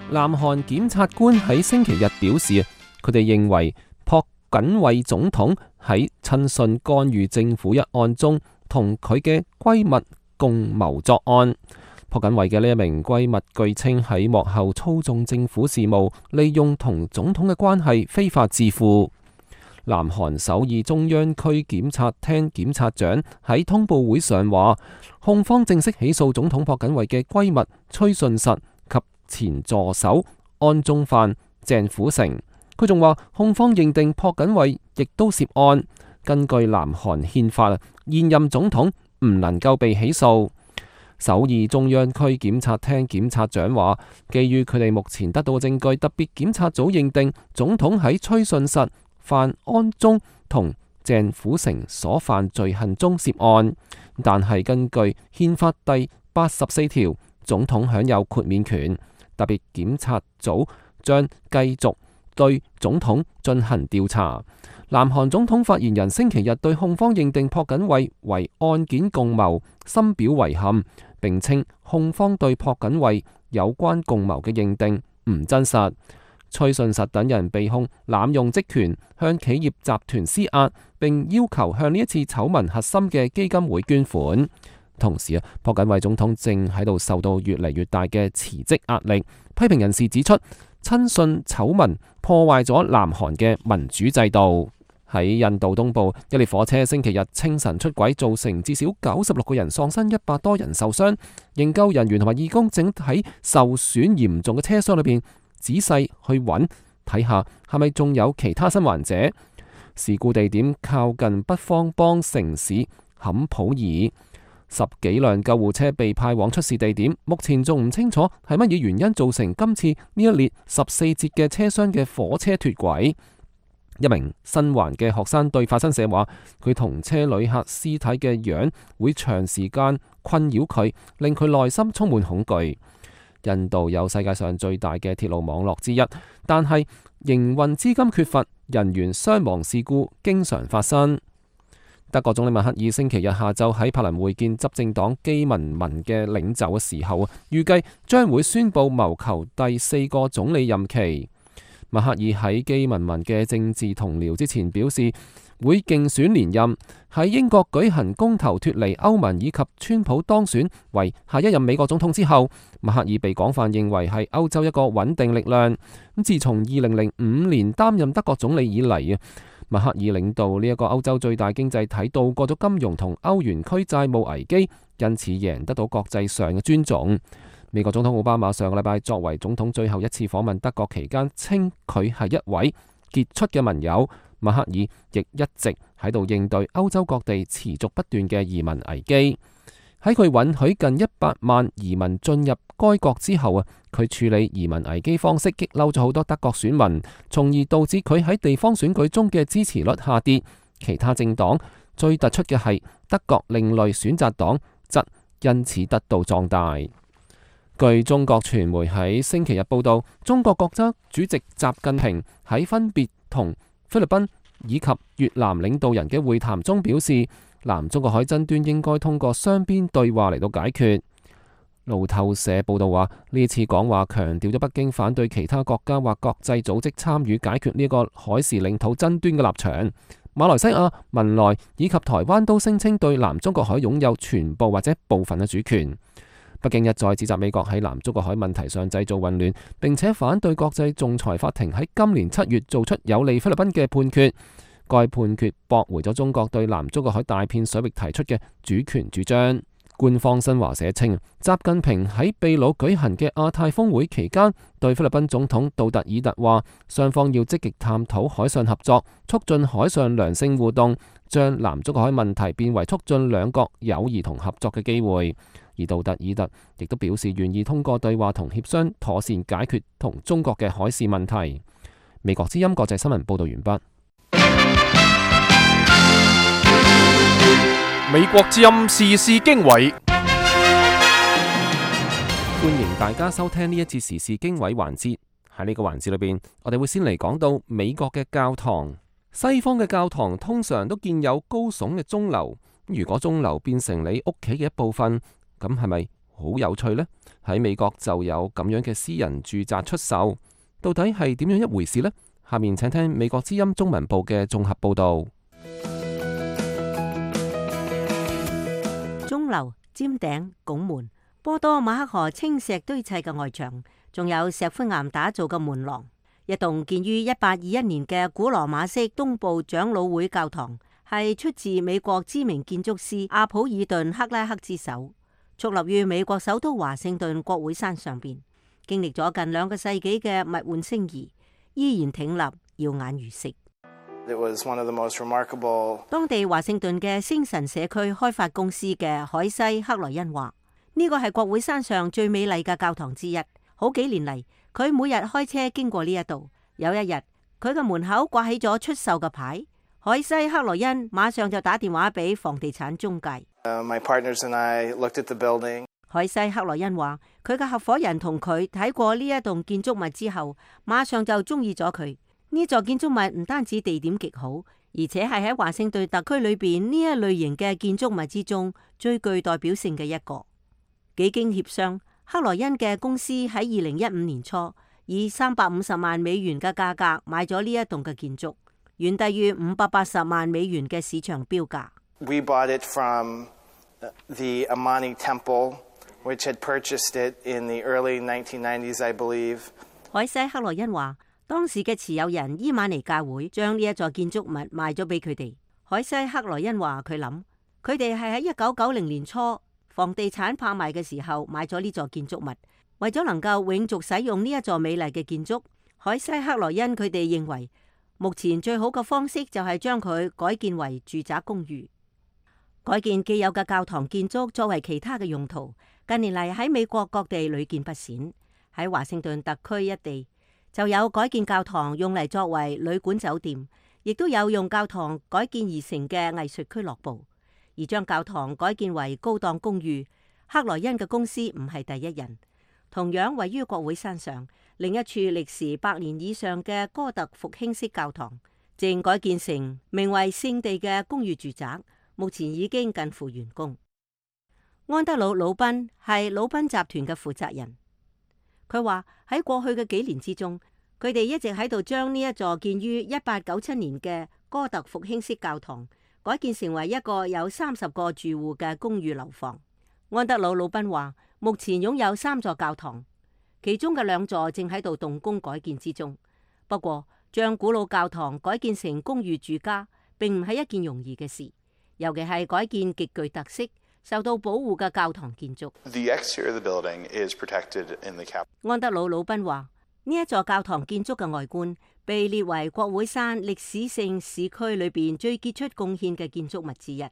南韓檢察官喺星期日表示，佢哋認為朴槿惠總統喺親信干預政府一案中，同佢嘅閨蜜共謀作案。朴槿惠嘅呢一名閨蜜據稱喺幕後操縱政府事務，利用同總統嘅關係非法致富。南韓首爾中央區檢察廳檢察長喺通報會上話，控方正式起訴總統朴槿惠嘅閨蜜崔順實及前助手安宗範、鄭府成。佢仲話，控方認定朴槿惠亦都涉案。根據南韓憲法，現任總統唔能夠被起訴。首爾中央區檢察廳檢察長話，基於佢哋目前得到嘅證據，特別檢察組認定總統喺崔順實、范安宗同鄭府成所犯罪行中涉案。但係根據憲法第八十四條，總統享有豁免權。特別檢察組將繼續對總統進行調查。南韓總統發言人星期日對控方認定朴槿惠為案件共謀深表遺憾，並稱控方對朴槿惠有關共謀嘅認定唔真實。崔順實等人被控濫用職權，向企業集團施壓，並要求向呢一次醜聞核心嘅基金會捐款。同時啊，朴槿惠總統正喺度受到越嚟越大嘅辭職壓力。批評人士指出，親信醜聞破壞咗南韓嘅民主制度。喺印度東部，一列火車星期日清晨出軌，造成至少九十六個人喪生，一百多人受傷。營救人員同埋義工正喺受損嚴重嘅車廂裏邊仔細去揾，睇下係咪仲有其他生還者。事故地點靠近北方邦城市坎普爾，十幾輛救護車被派往出事地點，目前仲唔清楚係乜嘢原因造成今次呢一列十四節嘅車廂嘅火車脫軌。一名生還嘅學生對法新社話，佢同車旅客屍體嘅樣會長時間困擾佢，令佢內心充滿恐懼。印度有世界上最大嘅鐵路網絡之一，但係營運資金缺乏，人員傷亡事故經常發生。德國總理默克爾星期日下晝喺柏林會見執政黨基民盟嘅領袖嘅時候，預計將會宣布謀求第四個總理任期。默克爾喺基民盟嘅政治同僚之前表示，會競選連任。喺英國舉行公投脫離歐盟以及川普當選為下一任美國總統之後，默克爾被廣泛認為係歐洲一個穩定力量。咁自從二零零五年擔任德國總理以嚟啊，默克爾領導呢一個歐洲最大經濟體度過咗金融同歐元區債務危機，因此贏得到國際上嘅尊重。美國總統奧巴馬上個禮拜作為總統最後一次訪問德國期間，稱佢係一位傑出嘅盟友。默克爾亦一直喺度應對歐洲各地持續不斷嘅移民危機。喺佢允許近一百萬移民進入該國之後啊，佢處理移民危機方式激嬲咗好多德國選民，從而導致佢喺地方選舉中嘅支持率下跌。其他政黨最突出嘅係德國另類選擇黨，則因此得到壯大。據中國傳媒喺星期日報道，中國國家主席習近平喺分別同菲律賓以及越南領導人嘅會談中表示，南中國海爭端應該通過雙邊對話嚟到解決。路透社報道話，呢次講話強調咗北京反對其他國家或國際組織參與解決呢個海事領土爭端嘅立場。馬來西亞、文萊以及台灣都聲稱對南中國海擁有全部或者部分嘅主權。北京一再指責美國喺南中國海問題上製造混亂，並且反對國際仲裁法庭喺今年七月做出有利菲律賓嘅判決。該判決駁回咗中國對南中國海大片水域提出嘅主權主張。官方新華社稱，習近平喺秘魯舉行嘅亞太峰會期間，對菲律賓總統杜特爾特話，雙方要積極探討海上合作，促進海上良性互動，將南中國海問題變為促進兩國友誼同合作嘅機會。而杜特爾特亦都表示願意通過對話同協商，妥善解決同中國嘅海事問題。美國之音國際新聞報道完畢。美國之音時事經緯，歡迎大家收聽呢一節時事經緯環節。喺呢個環節裏邊，我哋會先嚟講到美國嘅教堂。西方嘅教堂通常都建有高聳嘅鐘樓，如果鐘樓變成你屋企嘅一部分，咁係咪好有趣呢？喺美國就有咁樣嘅私人住宅出售，到底係點樣一回事呢？下面請聽美國之音中文部嘅綜合報道。鐘樓、尖頂、拱門、波多馬克河青石堆砌嘅外牆，仲有石灰岩打造嘅門廊。一棟建於一八二一年嘅古羅馬式東部長老會教堂，係出自美國知名建築師阿普爾頓克拉克之手，矗立於美國首都華盛頓國會山上邊，經歷咗近兩個世紀嘅物換星移，依然挺立，耀眼如昔。It was one of the most remarkable... 當地華盛頓嘅星辰社區開發公司嘅海西克萊恩話：呢個係國會山上最美麗嘅教堂之一。好幾年嚟，佢每日開車經過呢一度。有一日，佢嘅門口掛起咗出售嘅牌，海西克萊恩馬上就打電話俾房地產中介。Uh, my partners and I looked at the building. 海西克萊恩話：佢嘅合夥人同佢睇過呢一棟建築物之後，馬上就中意咗佢。呢座建築物唔單止地點極好，而且係喺華盛頓特區裏邊呢一類型嘅建築物之中最具代表性嘅一個。幾經協商，克萊恩嘅公司喺二零一五年初以三百五十萬美元嘅價格買咗呢一棟嘅建築，遠低於五百八十萬美元嘅市場標價。We bought it from the Amani Temple, which had purchased it in the early nineteen nineties, I believe. 海西克萊恩話：當時嘅持有人伊瑪尼教會將呢一座建築物賣咗俾佢哋。海西克萊恩話：佢諗佢哋係喺一九九零年初房地產拍賣嘅時候買咗呢座建築物，為咗能夠永續使用呢一座美麗嘅建築。海西克萊恩佢哋認為目前最好嘅方式就係將佢改建為住宅公寓，改建既有嘅教堂建築作為其他嘅用途。近年嚟喺美國各地屢見不鮮，喺華盛頓特區一地就有改建教堂用嚟作為旅館酒店，亦都有用教堂改建而成嘅藝術俱樂部。而將教堂改建為高檔公寓，克萊恩嘅公司唔係第一人。同樣位於國會山上另一處歷時百年以上嘅哥特復興式教堂，正改建成名為聖地嘅公寓住宅，目前已經近乎完工。安德魯·魯賓係魯賓集團嘅負責人。佢話喺過去嘅幾年之中，佢哋一直喺度將呢一座建於一八九七年嘅哥特復興式教堂改建成為一個有三十個住戶嘅公寓樓房。安德魯·魯賓話，目前擁有三座教堂，其中嘅兩座正喺度動工改建之中。不過，將古老教堂改建成公寓住家，並唔係一件容易嘅事，尤其係改建極具特色、受到保護嘅教堂建築。The exterior of the building is protected in the cap. 安德魯·魯賓話：呢一座教堂建築嘅外觀被列為國會山歷史性市區裏邊最傑出貢獻嘅建築物之一。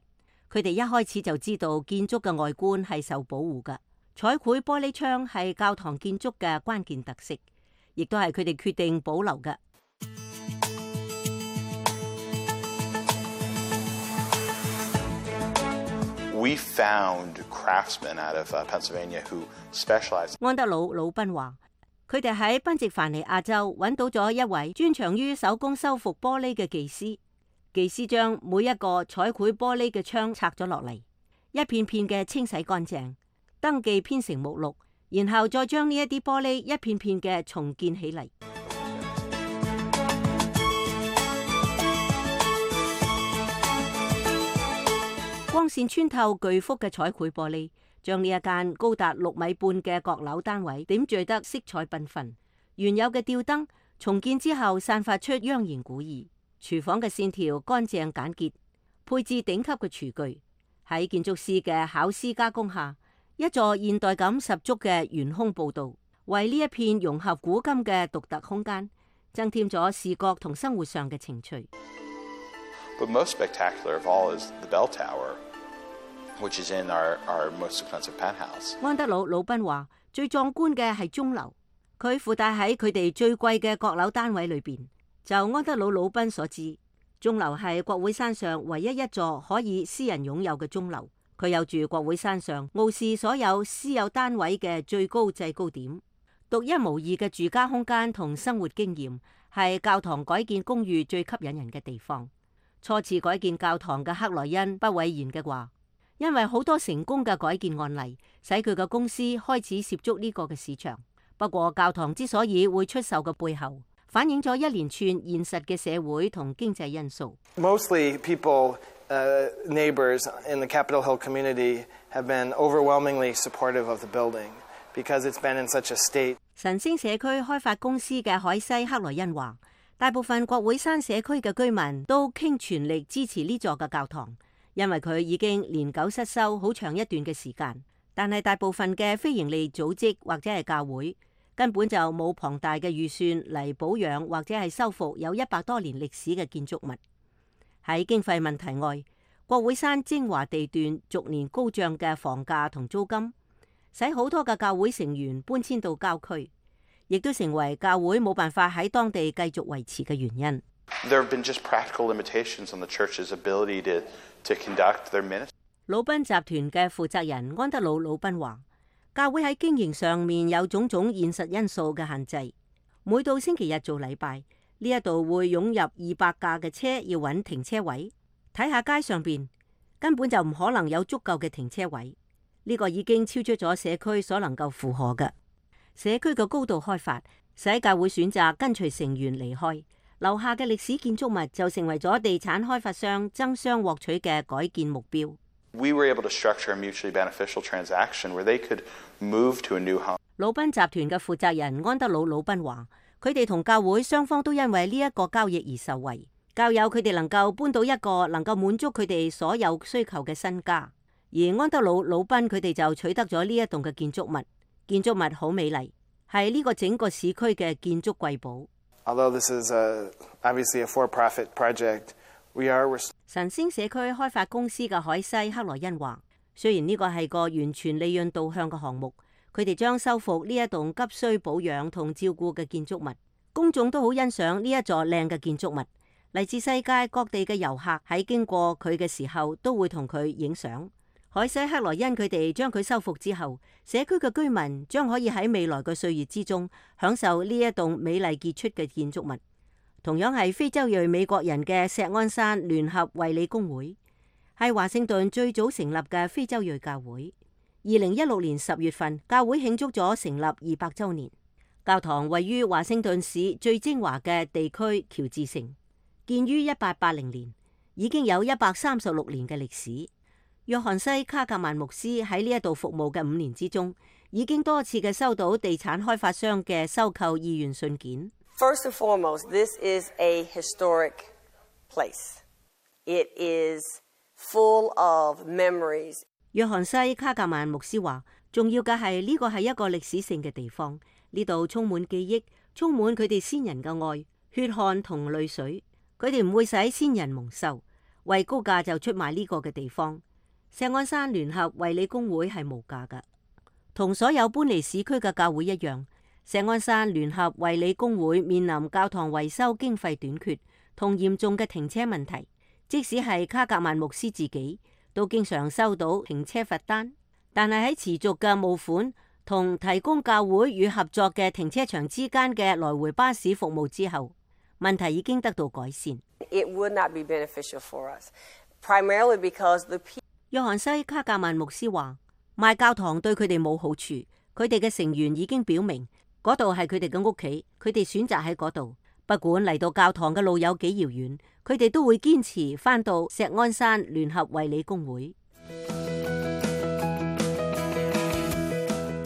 佢哋一開始就知道建築嘅外觀係受保護嘅，彩繪玻璃窗係教堂建築嘅關鍵特色，亦都係佢哋決定保留嘅。We found craftsmen out of Pennsylvania who specialize. 安德魯·魯賓話：佢哋喺賓夕凡尼亞州揾到咗一位專長於手工修復玻璃嘅技師。技師將每一個彩繪玻璃嘅窗拆咗落嚟，一片片嘅清洗乾淨，登記編成目錄，然後再將呢一啲玻璃一片片嘅重建起嚟。光線穿透巨幅嘅彩繪玻璃，將呢一間高達六米半嘅閣樓單位點綴得色彩繽紛。原有嘅吊燈重建之後，散發出央言古意。廚房嘅線條乾淨簡潔，配置頂級嘅廚具。喺建築師嘅巧思加工下，一座現代感十足嘅懸空步道，為呢一片融合古今嘅獨特空間增添咗視覺同生活上嘅情趣。But most spectacular of all is the bell tower, which is in our, our most expensive penthouse. 安德魯·魯賓話：最壯觀嘅係鐘樓，佢附帶喺佢哋最貴嘅閣樓單位裏邊。就安德魯·魯賓所知，鐘樓係國會山上唯一一座可以私人擁有嘅鐘樓。佢有住國會山上傲視所有私有單位嘅最高制高點，獨一無二嘅住家空間同生活經驗，係教堂改建公寓最吸引人嘅地方。初次改建教堂嘅克萊恩不諱言嘅話，因為好多成功嘅改建案例，使佢嘅公司開始涉足呢個嘅市場。不過教堂之所以會出售嘅背後，反映咗一連串現實嘅社會同經濟因素。Mostly people, uh, neighbors in the Capitol Hill community have been overwhelmingly supportive of the building because it's been in such a state. 晨星社區開發公司嘅海西克萊恩話，大部分國會山社區嘅居民都傾全力支持呢座嘅教堂，因為佢已經年久失修好長一段嘅時間。但係大部分嘅非營利組織或者係教會，根本就冇龐大嘅預算嚟保養或者係修復有一百多年歷史嘅建築物。喺經費問題外，國會山精華地段逐年高漲嘅房價同租金，使好多嘅教會成員搬遷到郊區，亦都成為教會冇辦法喺當地繼續維持嘅原因。There have been just practical limitations on the church's ability to, to conduct their ministry. 魯賓集團嘅負責人安德魯·魯賓話，教會喺經營上面有種種現實因素嘅限制。每到星期日做禮拜，呢一度會湧入二百架嘅車，要揾停車位。睇下街上邊根本就唔可能有足夠嘅停車位，呢個已經超出咗社區所能夠負荷嘅。社區嘅高度開發使教會選擇跟隨成員離開，留下嘅歷史建築物就成為咗地產開發商爭相獲取嘅改建目標。We were able to structure a mutually beneficial transaction where they could move to a new home. 魯賓集團嘅負責人安德魯·魯賓話，佢哋同教會雙方都因為呢一個交易而受惠，教友佢哋能夠搬到一個能夠滿足佢哋所有需求嘅新家，而安德魯·魯賓佢哋就取得咗呢一棟嘅建築物。建築物好美麗，係呢個整個市區嘅建築瑰寶。Although this is a, obviously a for-profit project, we are... 晨星社區開發公司嘅海西克萊恩話，雖然呢個係個完全利潤導向嘅項目，佢哋將修復呢一棟急需保養同照顧嘅建築物。公眾都好欣賞呢一座靚嘅建築物，嚟自世界各地嘅遊客喺經過佢嘅時候都會同佢影相。海西克萊恩佢哋將佢修復之後，社區嘅居民將可以喺未來嘅歲月之中享受呢一棟美麗傑出嘅建築物。同樣係非洲裔美國人嘅錫安山聯合衛理公會，係華盛頓最早成立嘅非洲裔教會。二零一六年十月份，教會慶祝咗成立二百週年。教堂位於華盛頓市最精華嘅地區喬治城，建於一八八零年，已經有一百三十六年嘅歷史。約翰西卡格曼牧師喺呢一度服務嘅五年之中，已經多次嘅收到地產開發商嘅收購意願信件。First and foremost, this is a historic place. It is full of memories. 約翰西卡格曼牧師話，重要嘅係呢個係一個歷史性嘅地方，呢度充滿記憶，充滿佢哋先人嘅愛、血汗同淚水。佢哋唔會使先人蒙羞，為高價就出賣呢個嘅地方。錫安山聯合衛理公會係無價㗎，同所有搬離市區嘅教會一樣。錫安山聯合衛理公會面臨教堂維修經費短缺同嚴重嘅停車問題，即使係卡格曼牧師自己都經常收到停車罰單，但係喺持續嘅募款同提供教會與合作嘅停車場之間嘅來回巴士服務之後，問題已經得到改善。It would not be beneficial for us, primarily because the people. 約翰西卡格曼牧師話：賣教堂對佢哋冇好處，佢哋嘅成員已經表明嗰度係佢哋嘅屋企，佢哋選擇喺嗰度。不管嚟到教堂嘅路有幾遙遠，佢哋都會堅持返到石安山聯合衛理公會。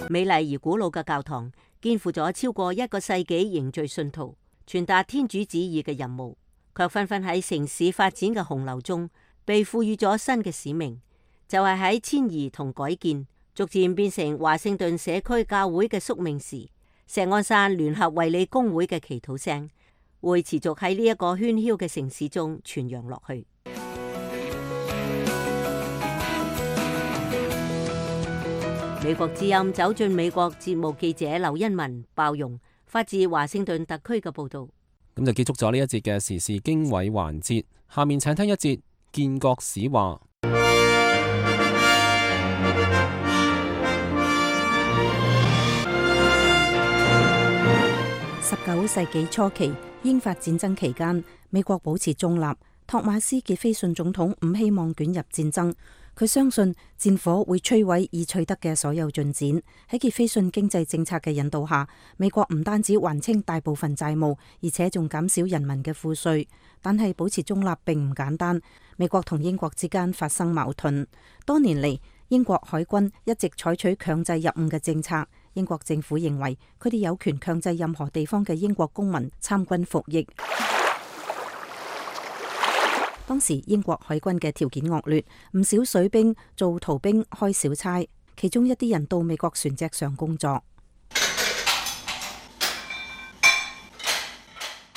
美麗而古老嘅教堂，肩負咗超過一個世紀凝聚信徒、傳達天主旨意嘅任務，卻紛紛喺城市發展嘅洪流中，被賦予咗新嘅使命，就係喺遷移同改建，逐漸變成華盛頓社區教會嘅宿命時，石安山聯合衛理公會嘅祈禱聲，會持續喺呢一個喧囂嘅城市中傳揚落去。美國之音走進美國節目記者劉欣文包容發自華盛頓特區嘅報道。咁就結束咗呢一節嘅時事經緯環節，下面請聽一節建國史話。十九世紀初期，英法戰爭期間，美國保持中立。托馬斯傑斐遜總統唔希望捲入戰爭，佢相信戰火會摧毀已取得嘅所有進展。喺傑斐遜經濟政策嘅引導下，美國唔單止還清大部分債務，而且仲減少人民嘅賦稅。但係保持中立並唔簡單，美國同英國之間發生矛盾。多年嚟，英國海軍一直採取強制入伍嘅政策。英國政府認為佢哋有權強制任何地方嘅英國公民參軍服役。當時英國海軍嘅條件惡劣，唔少水兵做逃兵開小差，其中一啲人到美國船隻上工作。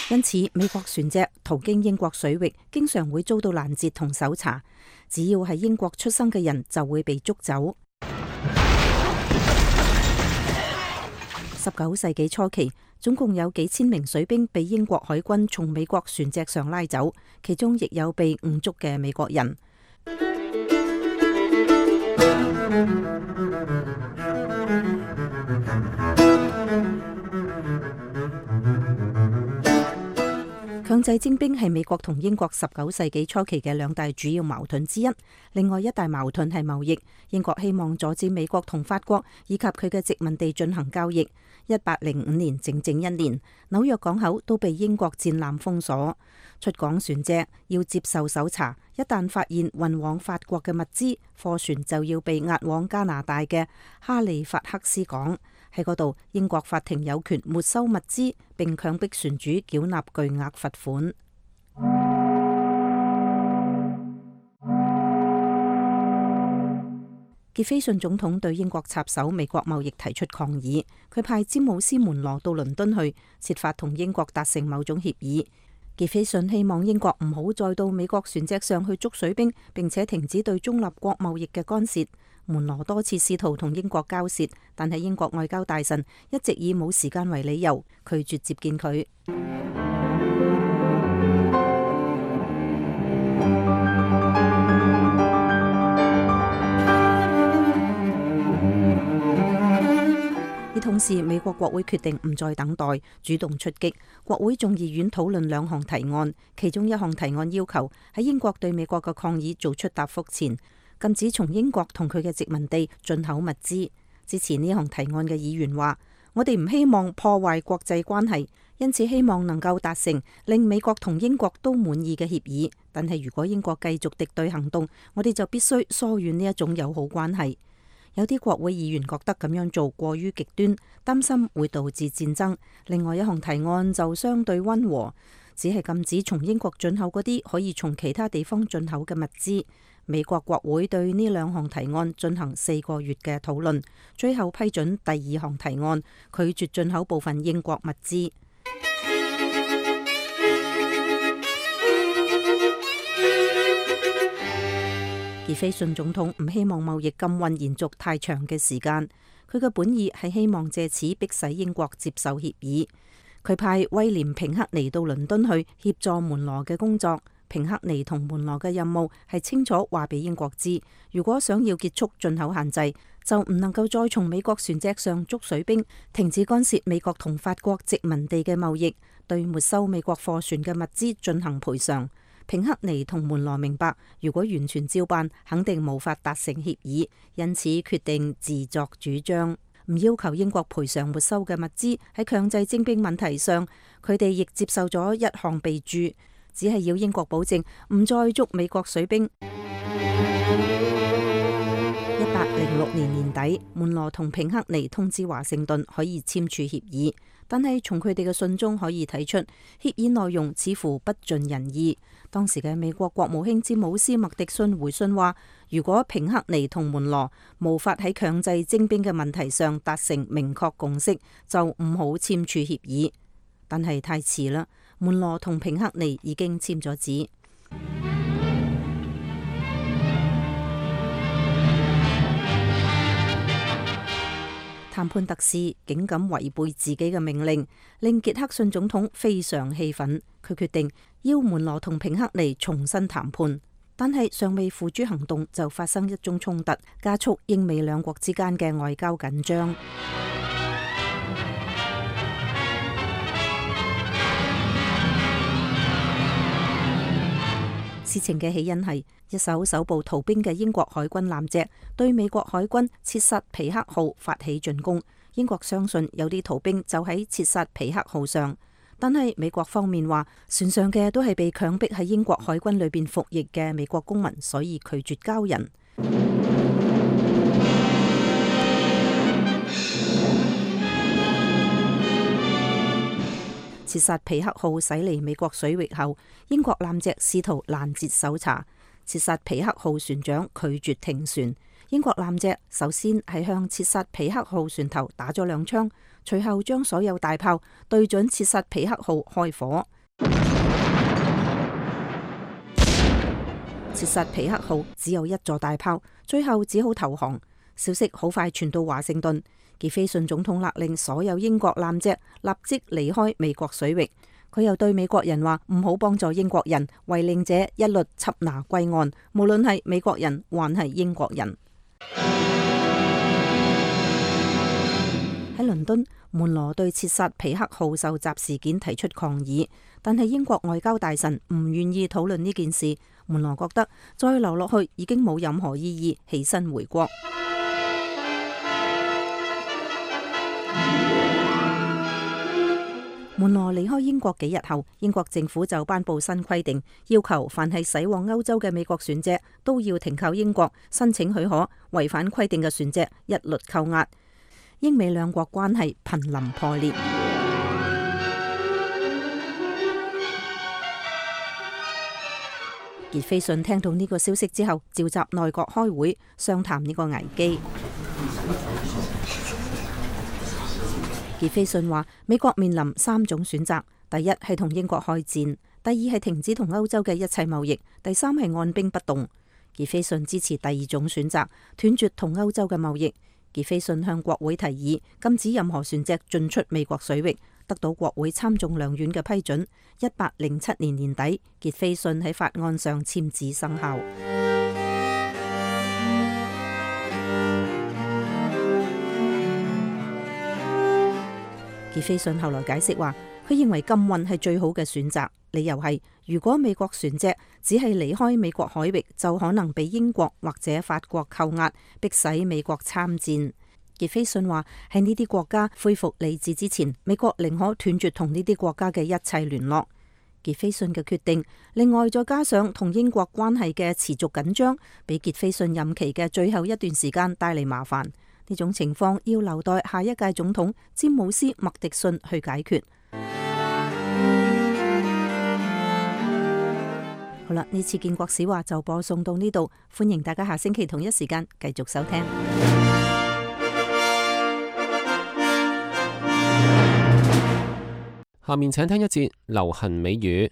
因此，美國船隻途經英國水域，經常會遭到攔截同搜查。只要係英國出生嘅人，就會被捉走。十九世紀初期，總共有幾千名水兵被英國海軍從美國船隻上拉走，其中亦有被誤捉嘅美國人。強制徵兵係美國同英國十九世紀初期嘅兩大主要矛盾之一。另外一大矛盾係貿易，英國希望阻止美國同法國以及佢嘅殖民地進行交易。一八零五年整整一年，紐約港口都被英國戰艦封鎖，出港船隻要接受搜查。一旦發現運往法國嘅物資，貨船就要被押往加拿大嘅哈利法克斯港。喺嗰度，英國法庭有權沒收物資，並強迫船主繳納巨額罰款。傑斐遜總統對英國插手美國貿易提出抗議，佢派詹姆斯門羅到倫敦去，設法同英國達成某種協議。傑斐遜希望英國唔好再到美國船隻上去捉水兵，並且停止對中立國貿易嘅干涉。門羅多次試圖同英國交涉，但係英國外交大臣一直以冇時間為理由拒絕接見佢。而同時，美國國會決定唔再等待，主動出擊。國會眾議院討論兩項提案，其中一項提案要求喺英國對美國嘅抗議做出答覆前，禁止從英國同佢嘅殖民地進口物資。支持呢項提案嘅議員話：我哋唔希望破壞國際關係，因此希望能夠達成令美國同英國都滿意嘅協議。但係如果英國繼續敵對行動，我哋就必須疏遠呢一種友好關係。有啲國會議員覺得咁樣做過於極端，擔心會導致戰爭。另外一項提案就相對溫和，只係禁止從英國進口嗰啲可以從其他地方進口嘅物資。美國國會對呢兩項提案進行四個月嘅討論，最後批准第二項提案，拒絕進口部分英國物資。傑斐遜總統唔希望貿易禁運延續太長嘅時間，佢嘅本意係希望借此迫使英國接受協議。佢派威廉平克尼到倫敦去協助門羅嘅工作。平克尼同門羅嘅任務係清楚話俾英國知，如果想要結束進口限制，就唔能夠再從美國船隻上捉水兵，停止干涉美國同法國殖民地嘅貿易，對沒收美國貨船嘅物資進行賠償。平克尼同門羅明白，如果完全照辦，肯定無法達成協議，因此決定自作主張，唔要求英國賠償沒收嘅物資。喺強制徵兵問題上，佢哋亦接受咗一項備註，只係要英國保證唔再捉美國水兵。一八零六年年底，門羅同平克尼通知華盛頓可以簽署協議，但係從佢哋嘅信中可以睇出，協議內容似乎不盡人意。當時嘅美國國務卿詹姆斯麥迪遜回信話，如果平克尼同門羅無法喺強制徵兵嘅問題上達成明確共識，就唔好簽署協議。但係太遲啦，門羅同平克尼已經簽咗字。談判特使竟敢違背自己嘅命令，令傑克遜總統非常氣憤。佢決定要門羅同平克尼重新談判，但係尚未付諸行動就發生一宗衝突，加速英美兩國之間嘅外交緊張。事情嘅起因係一艘搜捕逃兵嘅英國海軍艦隻對美國海軍切薩皮克號發起進攻。英國相信有啲逃兵就喺切薩皮克號上，但係美國方面話船上嘅都係被強迫喺英國海軍裏邊服役嘅美國公民，所以拒絕交人。切薩皮克號駛離美國水域後，英國艦隻試圖攔截搜查。切薩皮克號船長拒絕停船。英國艦隻首先係向切薩皮克號船頭打咗兩槍，隨後將所有大炮對準切薩皮克號開火。切薩皮克號只有一座大炮，最後只好投降。消息好快傳到華盛頓。傑斐遜總統勒令所有英國艦隻立即離開美國水域。佢又對美國人話唔好幫助英國人，違令者一律緝拿歸案，無論係美國人還係英國人。喺倫敦，門羅對切薩皮克號受襲事件提出抗議，但係英國外交大臣唔願意討論呢件事。門羅覺得再留落去已經冇任何意義，起身回國。門羅離開英國幾日後，英國政府就頒布新規定，要求凡係駛往歐洲嘅美國船隻都要停靠英國申請許可，違反規定嘅船隻一律扣押。英美兩國關係瀕臨破裂。傑斐遜聽到呢個消息之後，召集內閣開會商談呢個危機。傑斐遜話：美國面臨三種選擇，第一係同英國開戰，第二係停止同歐洲嘅一切貿易，第三係按兵不動。傑斐遜支持第二種選擇，斷絕同歐洲嘅貿易。傑斐遜向國會提議禁止任何船隻進出美國水域，得到國會參眾兩院嘅批准。一八零七年年底，傑斐遜喺法案上簽字生效。傑斐遜後來解釋話，佢認為禁運係最好嘅選擇，理由係如果美國船隻只係離開美國海域，就可能被英國或者法國扣押，迫使美國參戰。傑斐遜話喺呢啲國家恢復理智之前，美國寧可斷絕同呢啲國家嘅一切聯絡。傑斐遜嘅決定，另外再加上同英國關係嘅持續緊張，俾傑斐遜任期嘅最後一段時間帶嚟麻煩。呢種情況要留待下一屆總統詹姆斯麥迪遜去解決。好啦，呢次建國史話就播送到呢度，歡迎大家下星期同一時間繼續收聽。下面請聽一節流行美語。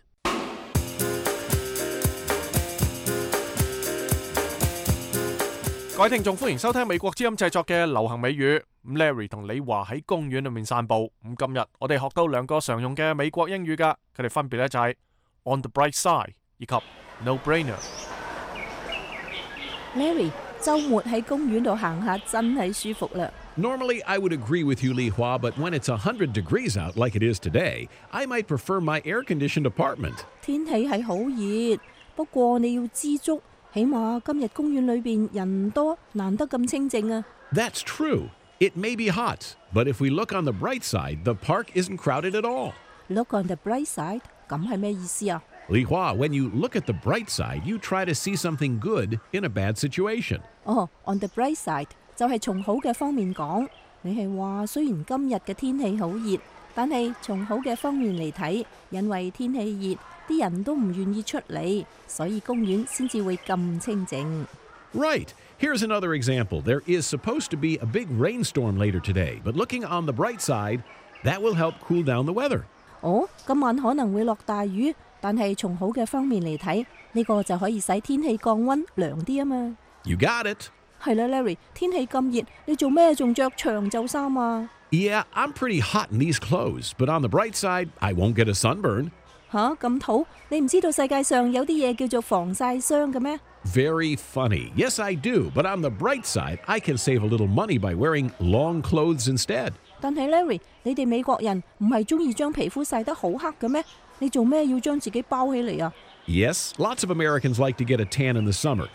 各位聽眾，歡迎收聽美國之音製作嘅流行美語。咁 Larry 同李華喺公園裏面散步。咁今日我哋學到兩個常用嘅美國英語噶，佢哋分別咧就係 on the bright side 以及 no brainer。Larry，週末喺公園度行下真係舒服啦。Normally, I would agree with you, Li Hua, but when it's one hundred degrees out like it is today, I might prefer my air-conditioned apartment. 天氣係好熱，不過你要知足，起碼今日公園裏邊人多，難得咁清靜啊。That's true. It may be hot, but if we look on the bright side, the park isn't crowded at all. Look on the bright side， 咁係咩意思啊？ Li Hua, when you look at the bright side, you try to see something good in a bad situation. 哦、oh, on the bright side 就係從好嘅方面講，你係話雖然今日嘅天氣好熱，但係從好嘅方面嚟睇，因為天氣熱，啲人都唔願意出嚟，所以公園先至會咁清靜。Right. Here's another example. There is supposed to be a big rainstorm later today, but looking on the bright side, that will help cool down the weather. 哦，今晚可能會落大雨，但係從好嘅方面嚟睇，呢個就可以使天氣降溫涼啲啊嘛。You got it. 係啦 ，Larry， 天氣咁熱，你做咩仲着長袖衫啊？ Yeah, I'm pretty hot in these clothes, but on the bright side, I won't get a sunburn. 吓，咁土？你唔知道世界上有啲嘢叫做防曬霜嘅咩？ Very funny. Yes, I do, but on the bright side, I can save a little money by wearing long clothes instead. 但係 Larry， 你哋美國人唔係中意將皮膚曬得好黑嘅咩？你做咩要將自己包起嚟啊？ Yes, lots of Americans like to get a tan in the summer,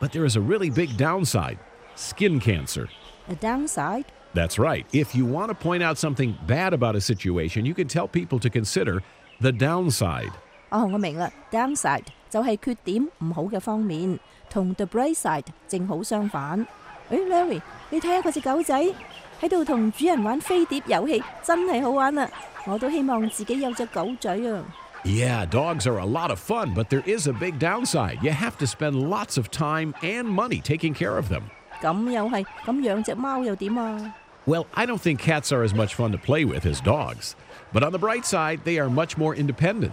but there is a really big downside: skin cancer. A downside? That's right. If you want to point out something bad about a situation, you can tell people to consider the downside. 哦，我明啦 ，downside 就係缺點唔好嘅方面，同 the bright side 正好相反。誒 ，Larry， 你睇下嗰隻狗仔喺度同主人玩飛碟遊戲，真係好玩啊！我都希望自己有隻狗仔啊。Yeah, dogs are a lot of fun, but there is a big downside. You have to spend lots of time and money taking care of them. 咁又係，咁養隻貓又點啊？ Well, I don't think cats are as much fun to play with as dogs, but on the bright side, they are much more independent.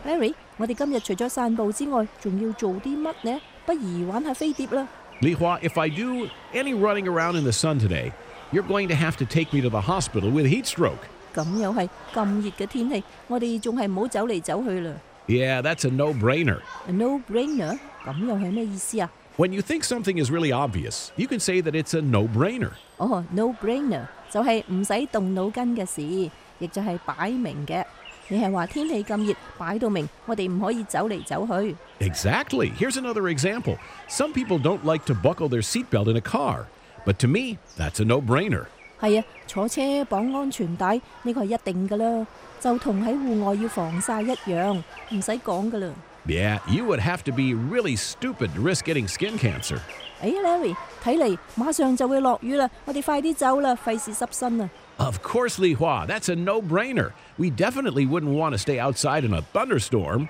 Larry， 我哋今日除咗散步之外，仲要做啲乜呢？不如玩下飛碟啦。Li Hua, if I do any running around in the sun today, you're going to have to take me to the hospital with heat stroke. 咁又係咁熱嘅天氣，我哋仲係唔好走嚟走去啦。Yeah, that's a no-brainer. A no-brainer？ 咁又係咩意思啊？ When you think something is really obvious, you can say that it's a no-brainer. 哦 ，no-brainer 就係唔使動腦筋嘅事，亦就係擺明嘅。你係話天氣咁熱，擺到明，我哋唔可以走嚟走去。Exactly. Here's another example. Some people don't like to buckle their seatbelt in a car, but to me, that's a no-brainer. 係啊，坐車綁安全帶呢個係一定噶啦，就同喺戶外要防曬一樣，唔使講噶啦。Yeah, you would have to be really stupid to risk getting skin cancer. 誒 ，Larry， 睇嚟馬上就會落雨啦，我哋快啲走啦，費事濕身啊！ Of course, Li Hua, that's a no-brainer. We definitely wouldn't want to stay outside in a thunderstorm.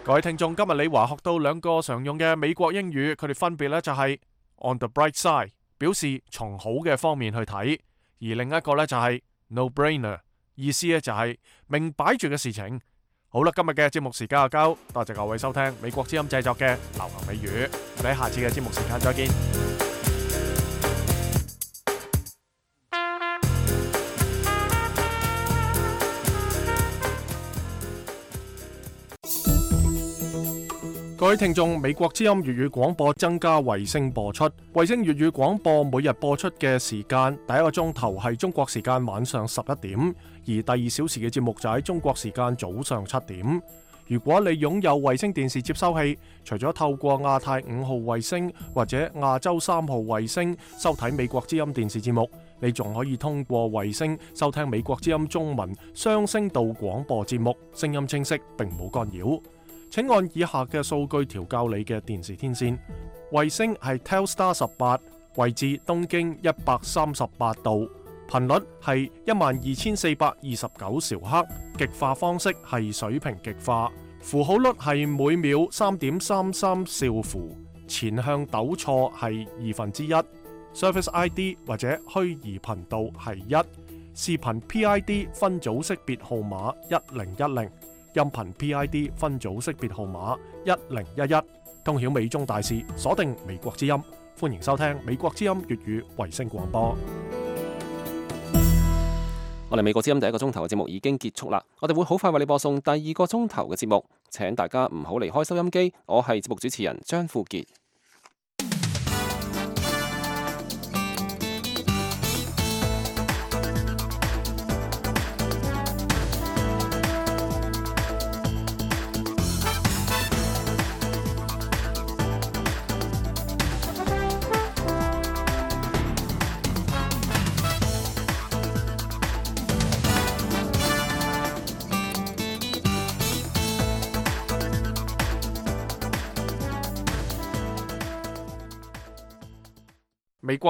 各位聽眾，今日李華學到兩個常用嘅美國英語，佢哋分別咧就係 on the bright side， 表示從好嘅方面去睇，而另一個咧就係 no-brainer， 意思咧就係明擺住嘅事情。好啦，今日嘅節目時間就夠，多謝各位收聽美國之音製作嘅流行美語，我哋喺下次嘅節目時間再見。各位聽眾，美國之音粵語廣播增加衛星播出。衛星粵語廣播每日播出嘅時間，第一個鐘頭係中國時間晚上十一點，而第二小時嘅節目就喺中國時間早上七點。如果你擁有衛星電視接收器，除咗透過亞太五號衛星或者亞洲三號衛星收睇美國之音電視節目，你仲可以通過衛星收聽美國之音中文雙聲道廣播節目，聲音清晰並冇干擾。請按以下嘅數據調校你嘅電視天線。衛星係 Telstar 十八，位置東經一百三十八度，頻率係一萬二千四百二十九兆赫，極化方式係水平極化，符號率係每秒三點三三兆符，前向抖錯係二分之一，Service I D 或者虛擬頻道係一。視頻 P I D 分組識別號碼一零一零，音頻 P I D 分組識別號碼一零一一。通曉美中大事，鎖定美國之音。歡迎收聽美國之音粵語衛星廣播。我哋美國之音第一個鐘頭嘅節目已經結束啦，我哋會好快為你播送第二個鐘頭嘅節目，請大家唔好離開收音機。我係節目主持人張富傑。美國